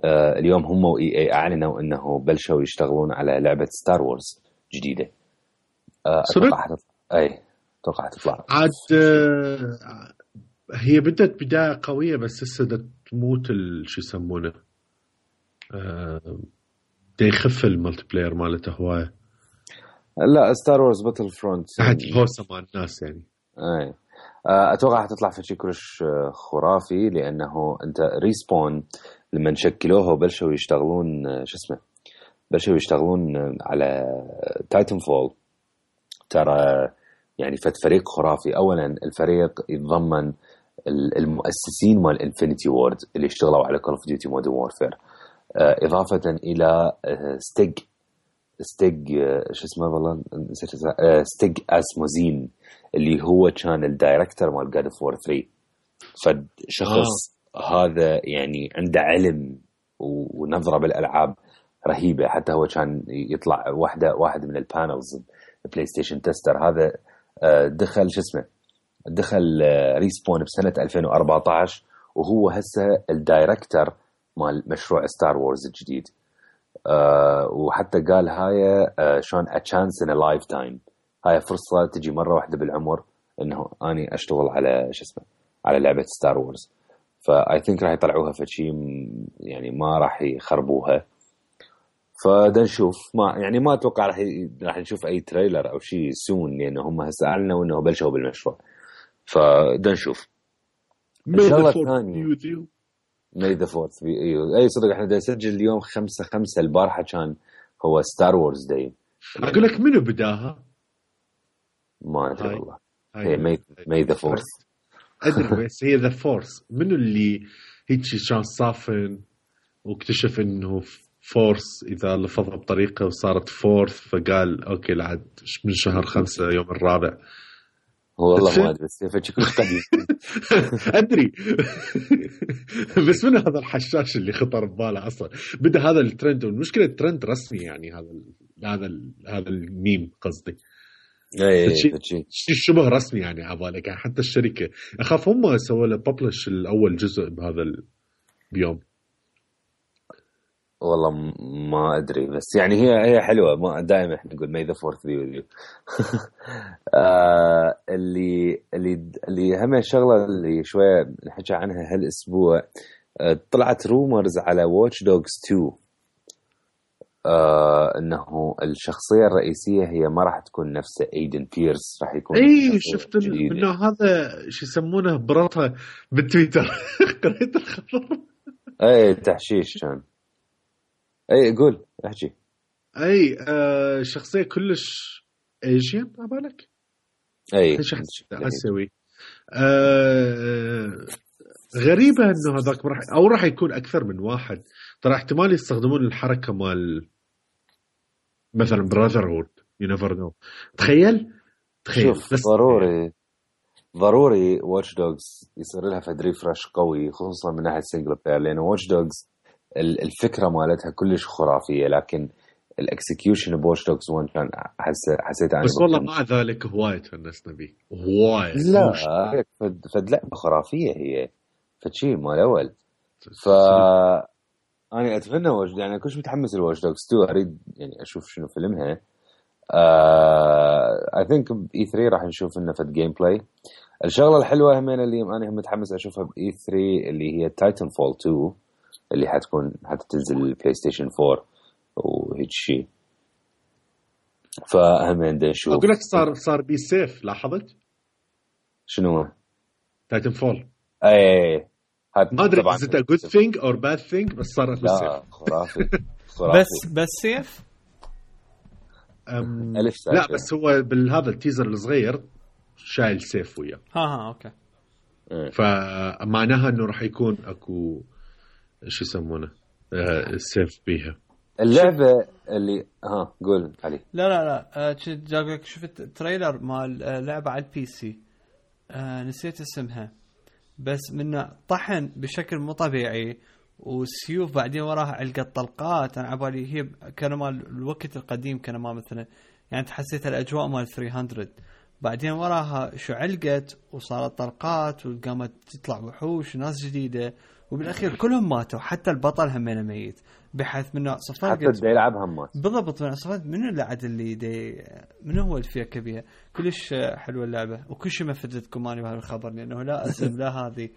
اليوم هم واي اي اعلنوا انه بلشوا يشتغلون على لعبه ستار وورز جديده. اتوقع تطلع عاد. هي بدت بدايه قويه بس هسه تموت شو يسمونه، يخف الملتي بلاير مالته هوايه. لا ستار وورز باتل فرونت حتى الهوسه مال الناس يعني. اي اتوقع حتطلع في شيء كلش خرافي، لانه انت ريسبون لما شكلوها وبلشوا يشتغلون بلشوا يشتغلون على تايتن فول، ترى يعني فريق خرافي. اولا الفريق يتضمن المؤسسين مال انفينيتي وورد اللي اشتغلوا على كول اوف ديوتي مودرن وورفير، اضافه الى ستيج شو اسمه والله نسيت، ستيج اسموزين اللي هو كان الدايركتور مال جاد اوف وور 3. فشخص هذا يعني عنده علم ونظره بالالعاب رهيبه. حتى هو كان يطلع واحد من البانلز بلاي ستيشن تستر. هذا دخل دخل ريسبون بسنه 2014 وهو هسه الدايركتور مال مشروع ستار وورز الجديد. وحتى قال هاي شلون a chance in a lifetime، هاي فرصة تجي مرة واحدة بالعمر انه اني اشتغل على على لعبة ستار وورز. فاي ثينك راح يطلعوها في شيء يعني ما راح يخربوها. فدا نشوف، ما اتوقع راح نشوف اي تريلر او شيء سون، لانه هم هسه اعلنوا انه بلشوا بالمشروع. فدا نشوف. الشغلة الثانية May the 4th be اي صدق احنا دا نسجل اليوم 5/5. البارحة كان هو ستار وورز داي. اقول لك منو بداها؟ ما ادري والله. هي May the 4th. ادري بس هي the 4th. منو اللي هيك كان صافن واكتشف انه فورس اذا لفظها بطريقة وصارت فورث، فقال اوكي العد من شهر 5 يوم الرابع. والله ما ادري بس فشي كل قديم. ادري بس من هذا الحشاش اللي خطر بباله اصلا بدا هذا الترند. والمشكله الترند رسمي يعني هذا الميم قصدي شيء شبه رسمي يعني عبالك يعني. حتى الشركه اخاف هم سووا له ببلش الاول جزء بهذا بيوم. والله ما ادري بس يعني هي حلوه. ما دائما احنا نقول May the 4th be with you. اللي هم الشغله اللي شويه نحكي عنها هالاسبوع، طلعت رومرز على Watch Dogs 2 انه الشخصيه الرئيسيه هي ما راح تكون نفسه ايدن بيرس، راح يكون شفت انه هذا شو يسمونه برطه بالتويتر. قريت الخبر. اي تحشيش كان. اي قول احكي. اي شخصيه كلش ايجين عبالك. اي شخصيه اسيوي غريبة انه هذاك راح يكون اكثر من واحد. ترى احتمال يستخدمون الحركة مال مثلا براذرهود، يو نيفر نو. تخيل شوف بس ضروري واتش دوجز يصير لها فد ريفرش قوي، خصوصا من ناحية سنجل بلاير، لأنه واتش دوجز الفكرة مالتها كلش خرافية، لكن الاكسكيوشن بواتش دوجز 1 كان حسيت بس والله مع ذلك هواية تونسنا بيه هواية. لا فد لعبة خرافية هي، فشي مال الأول. أنا أتمنى يعني كلش متحمس لواتش دوجز 2، أريد يعني أشوف شنو فيلمها. I think E3 راح نشوف لنا فد جيم بلاي. الشغلة الحلوة همين اللي أنا متحمس أشوفها بE3 اللي هي تايتن فول 2 اللي حتنزل البلاي ستيشن 4 وهيك شيء. فهمين دا نشوف. أقول لك صار بيسيف، لاحظت شنو تايتن فول؟ أي ما أدري is it a good thing or bad thing، بس صار بيسيف. خرافي. بس سيف لا بس هو بالهذا التيزر الصغير شايل سيف وياه. اوكي. فمعناها انه راح يكون اكو شو يسمونه سيف بيها اللعبه اللي قول علي. لا جاك شفت تريلر مال لعبه على البي سي، نسيت اسمها، بس منه طحن بشكل مو طبيعي وسيوف بعدين وراها علقة طلقات. أنا عبالي هي كان مال الوقت القديم، كان ما مثلا يعني تحسيت الأجواء مال 300، بعدين وراها شو علقت وصارت طلقات وقامت تطلع وحوش وناس جديدة، وبالأخير كلهم ماتوا، حتى البطل همينه ميت، بحيث منه صفات حتى اللي يلعبها مات بالضبط. من صفات منو اللعد اللي منو هو اللي فيها كبيرة. كلش حلوة اللعبة، وكل شيء ما فدتكم أنا بهالخبر لأنه لا أسم لا هذه.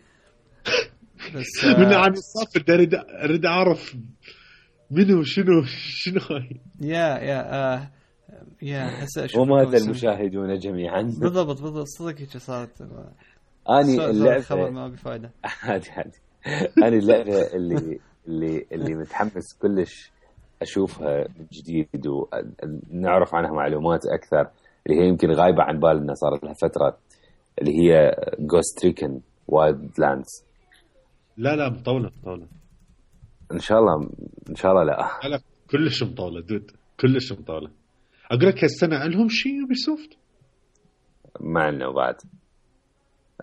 بس من عن الصف أريد أعرف منو شنو هاي. يا هسه أشوف وما هذا المشاهدون جميعا. بالضبط صدق هيك صارت. أني اللعبة خبر ما بفائدة. عادي أنا اللعبة اللي متحمس كلش أشوفها من جديد ونعرف عنها معلومات أكثر، اللي هي يمكن غايبة عن بالنا صارت لها فترة، اللي هي Ghost Recon Wildlands. لا مطولة إن شاء الله لا كلش مطولة دود، كلش مطولة. أقول لك هالسنة لهم شيء يوبيسوفت معنا وبعد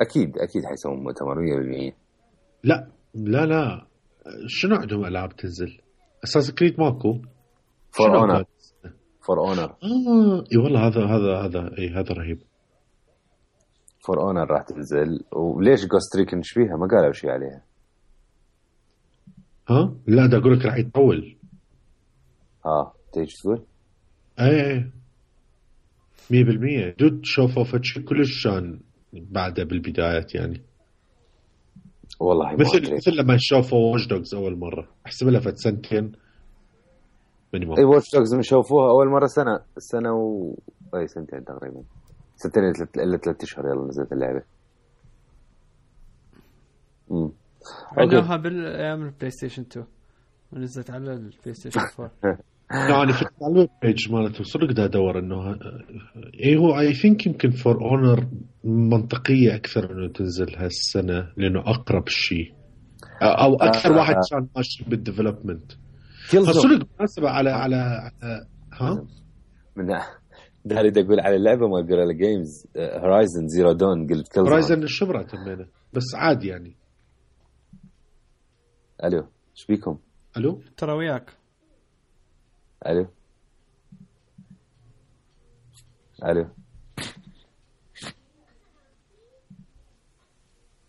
أكيد حيسوون مؤتمر 100%. لا شنو عندهم ألعاب تنزل؟ أساس كريد ماكو. فور اونر اي والله هذا رهيب. فور اونر راح تنزل. وليش جوست ريكن فيها ما قالوا شيء عليها؟ لا دا أقول لك راح يطول. تيجي تقول ايه 100% دود شوفوا فتشي كلش شان بعده بالبدايات يعني. والله مثل لما شافوا واتش دوجز اول مره، احسب لها فت سنتين مينيموم. اي واتش دوجز من شافوها اول مره سنه اي سنتين تقريبا، سنتين الا 3 اشهر يلا نزلت اللعبه. عندها بالايام البلاي ستيشن 2 ونزلت على البلاي ستيشن 4. يعني في الويب بيج مالته صدق دا ادور انه هو اي ثينك يمكن فور اونر منطقيه اكثر انه تنزل هالسنه لانه اقرب شيء او اكثر واحد كان ماشي بالديفلوبمنت. صدق مناسبه على من ده اللي اقول على اللعبه ما جوريلا جيمز هورايزن زيرو دون. قلت كل هورايزن الشبرة تمينه بس عادي يعني. الو ايش بيكم؟ الو ترى وياك. الو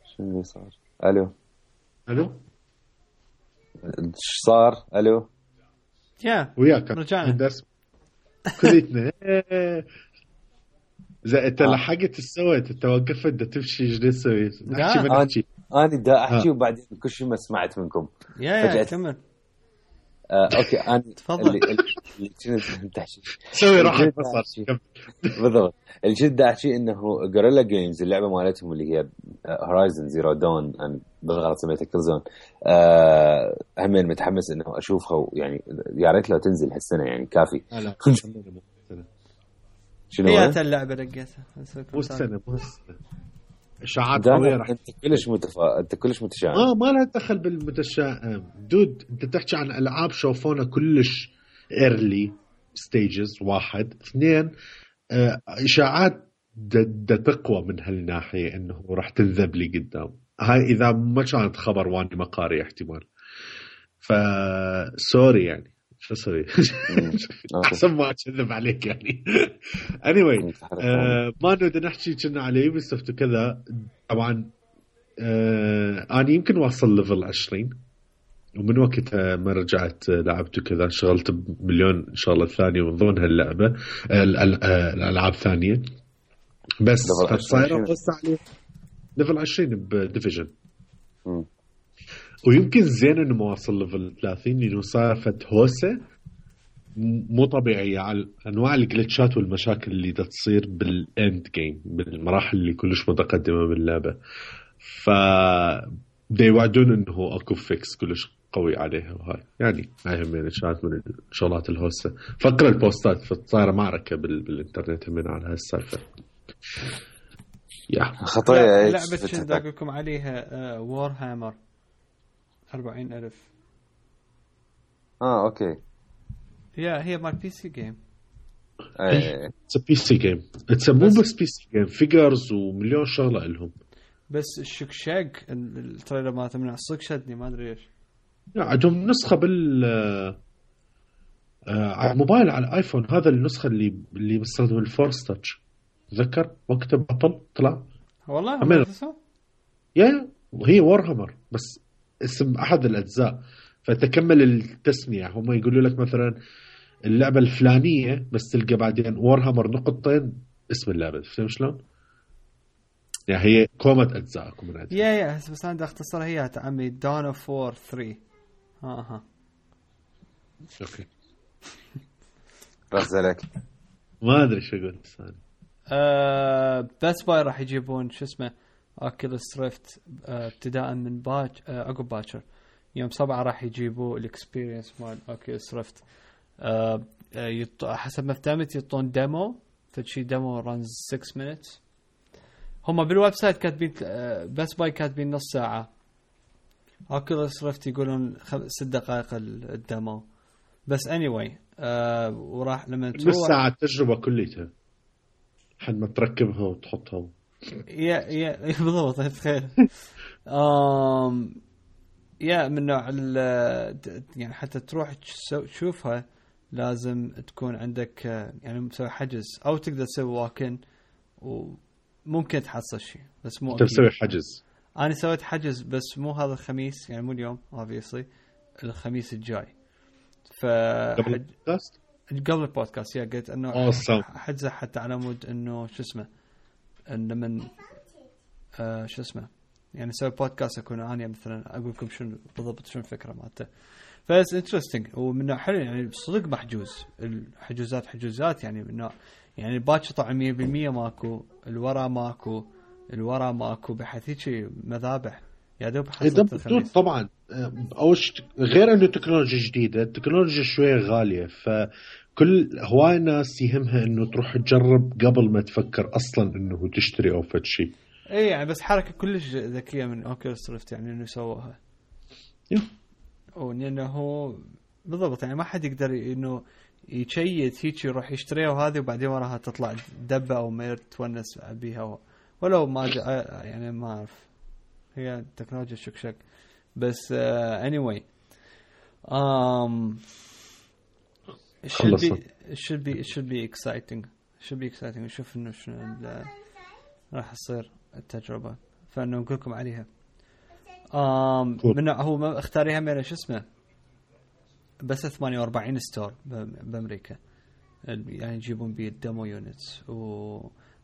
شو اللي صار؟ الو ايش صار؟ الو يا وياك رجعنا درس كليتنا. إذا أنت لحقت سويت أنت وقفت دا تمشي جديد سويت نحكي أنا دا أحكي وبعدين كل شيء ما سمعت منكم. يا كمل. أوكي أنا تفضل. اللي كنت أحكي سوي راحة بصر بالضبط. اللي كنت أحكي إنه غوريلا جيمز اللعبة مالتهم اللي هي هورايزن زيرو دون، أنا بالغلط سميتها كل زون. همين متحمس إنه أشوفها يعني يا ريت لو تنزل هالسنة يعني كافي. شنو هي اللعبة رقيتها مو السنة اشاعات قويه راح انت كلش متشائم. ما لها دخل بالمتشائم دود. انت تحكي عن العاب شوفونا كلش ايرلي ستيجز. 1 2 اشاعات تقوى من هالناحيه انه راح تنذب لي قدام. هاي اذا ما كانت خبر واني ما قاري احتمال. سوري يعني شو اسوي؟ احسن ما اكذب عليك يعني. anyway ما نقدر نحكي كنا على يوبيسوفت وكذا. طبعا انا يمكن واصل ليفل 20 ومن وقتها ما رجعت لعبت كذا. شغلت بمليون شغله ثانيه من ضمنها اللعبه الالعاب ثانيه. بس صايره قصه عليه ليفل 20 بديفيجن. ويمكن زين انه ما وصل ليفل 30 لانه صار هوسه مو طبيعيه على انواع الجلitchات والمشاكل اللي تصير بالاند جيم بالمراحل اللي كلش متقدمه باللعبه. ف يوعدون انه اكو فيكس كلش قوي عليها. وهاي يعني هاي هم كانت من الشغلات الهوسه. فقره البوستات فصايره معركه بالانترنت من على هالسالفه. يا خطايا لعبه شنو اقول لكم عليها وور هامر 40,000. اوكي. هي مال بي سي جيم. اتس بي سي جيم. اتس مو بس بي سي جيم فيجرز ومليون شغله لهم. بس الشكشاق التريلر مالته من الصق شدني ما ادري ايش. عندهم نسخه بال على الموبايل على الايفون. هذا النسخه اللي بستخدم الفورس تاتش. تذكر وقت ابل طلع والله ما يا وهي وورهامر بس اسم احد الاجزاء. فتكمل التسميه هم يقولوا لك مثلا اللعبه الفلانيه بس تلقى بعدين وورهامر نقطتين اسم اللعبه. فهمت شلون؟ يعني هي كومة أجزاء كومة يا بس أنا أختصرها هي تعمي دون اوف وور 3. اوكي رزلك ما ادري شو اقول ثاني. بس باي راح يجيبون شو اسمه اوكيولوس ريفت ابتداء من عقب باكر يوم 7 راح يجيبوا الاكسبيرينس مال اوكيولوس ريفت. حسب ما فهمت يعطون ديمو فشي ديمو رانز 6 minutes. هم بالويب سايت كاتبين بس باي كاتبين نص ساعة. اوكيولوس ريفت يقولون 6 دقائق الديمو بس anyway. وراح لما تروح نص ساعة تجربة كليتها حد ما تركبها وتحطها. يا بالضبط تخيل. يا من نوع يعني حتى تروح تشوفها لازم تكون عندك يعني مسوي حجز او تقدر تسوي واكن وممكن تحصل شيء بس مو تسوي حجز. انا سويت حجز بس مو هذا الخميس يعني مو اليوم obviously الخميس الجاي. قبل البودكاست يا قلت انه حجزه حتى على مود انه شو اسمه ان من شو اسمه يعني سوي بودكاست اكون انا مثلا اقول لكم شنو بالضبط شنو الفكره مالته. فاس انترستينج ومن حلو يعني صدق محجوز. الحجوزات يعني من نوع يعني باكر طبعا 100% ماكو الورا ماكو بحيث هيك مذابح يا دوب حصلت طبعا. غير انه تكنولوجيا جديده التكنولوجيا شويه غاليه فكل هواي ناس يهمها انه تروح تجرب قبل ما تفكر اصلا انه تشتري او فد شيء. اي يعني بس حركه كلش ذكيه من اوكيولوس ريفت يعني انه سووها وانه هو بالضبط يعني ما حد يقدر انه يشيت هيك يروح يشتريها وهذه وبعدين وراها تطلع دبه او ما تونس بيها ولو ما يعني ما اعرف هي تكنولوجيا شكشك بس anyway it should be exciting نشوف انه شنو راح تصير التجربه فانه نقول لكم عليها. من هو اختاريها من شو اسمه بس 48 ستور بامريكا يعني يجيبون بيه الديمو يونتس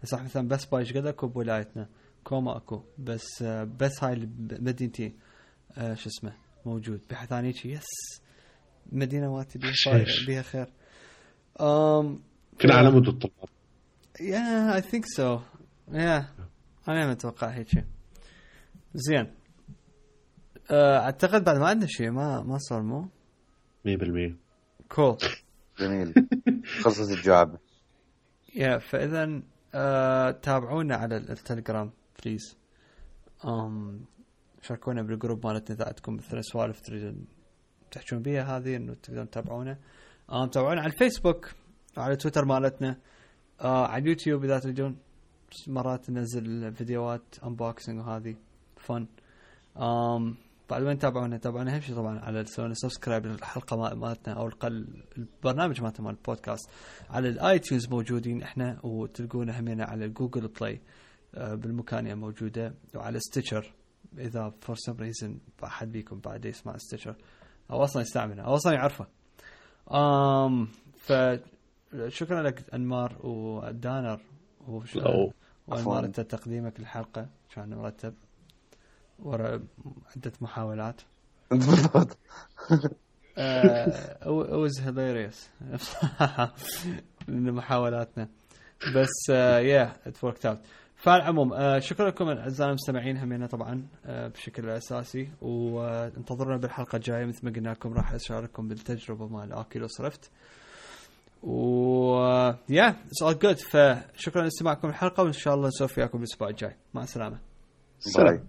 صح مثلا بس بايش قد اكو بولايتنا كوما اكو بس هاي مدينتي شو اسمه موجود بحثاني يس مدينه واتي بيها خير. كل على مود الطلاب. I think so. انا متوقع هيك زين. اعتقد بعد ما عندنا شيء ما صار مو 100% كول جميل خلصت الجواب. فاذا تابعونا على التليجرام بليز شاركونا بالجروب مالتنا اذا عندكم مثلا سوالف تريدون تحجون بيها هذه انه تقدرون تتابعونا. تابعونا على الفيسبوك وعلى تويتر مالتنا، على اليوتيوب اذا تريدون مرات ننزل فيديوهات انبوكسنج وهذه فن. بعد ما تابعونا اهم شيء طبعا على سبسكرايب للحلقه مالتنا او البرنامج مالتنا مال البودكاست على الايتونز موجودين احنا، وتلقونا همينة على الجوجل بلاي بالمكانية موجودة، وعلى ستيتشر اذا فور سم ريزن احد بيكم بعد يسمع ستيتشر او اصلا يستعمله او اصلا يعرفه. فشكرا لك انمار ودانر وانمار انت تقديمك للحلقة كان مرتب ورا عدة محاولات. بالضبط. it was hilarious من محاولاتنا بس it worked out. فالعموم شكرا لكم اعزائنا المستمعين همينا طبعا بشكل اساسي، وانتظرونا بالحلقه الجايه مثل ما قلنا لكم راح اشارككم بالتجربه مال اوكيولوس ريفت it's all good. فشكرا لاستماعكم الحلقه وان شاء الله نسولف وياكم الاسبوع الجاي. مع السلامه. باي.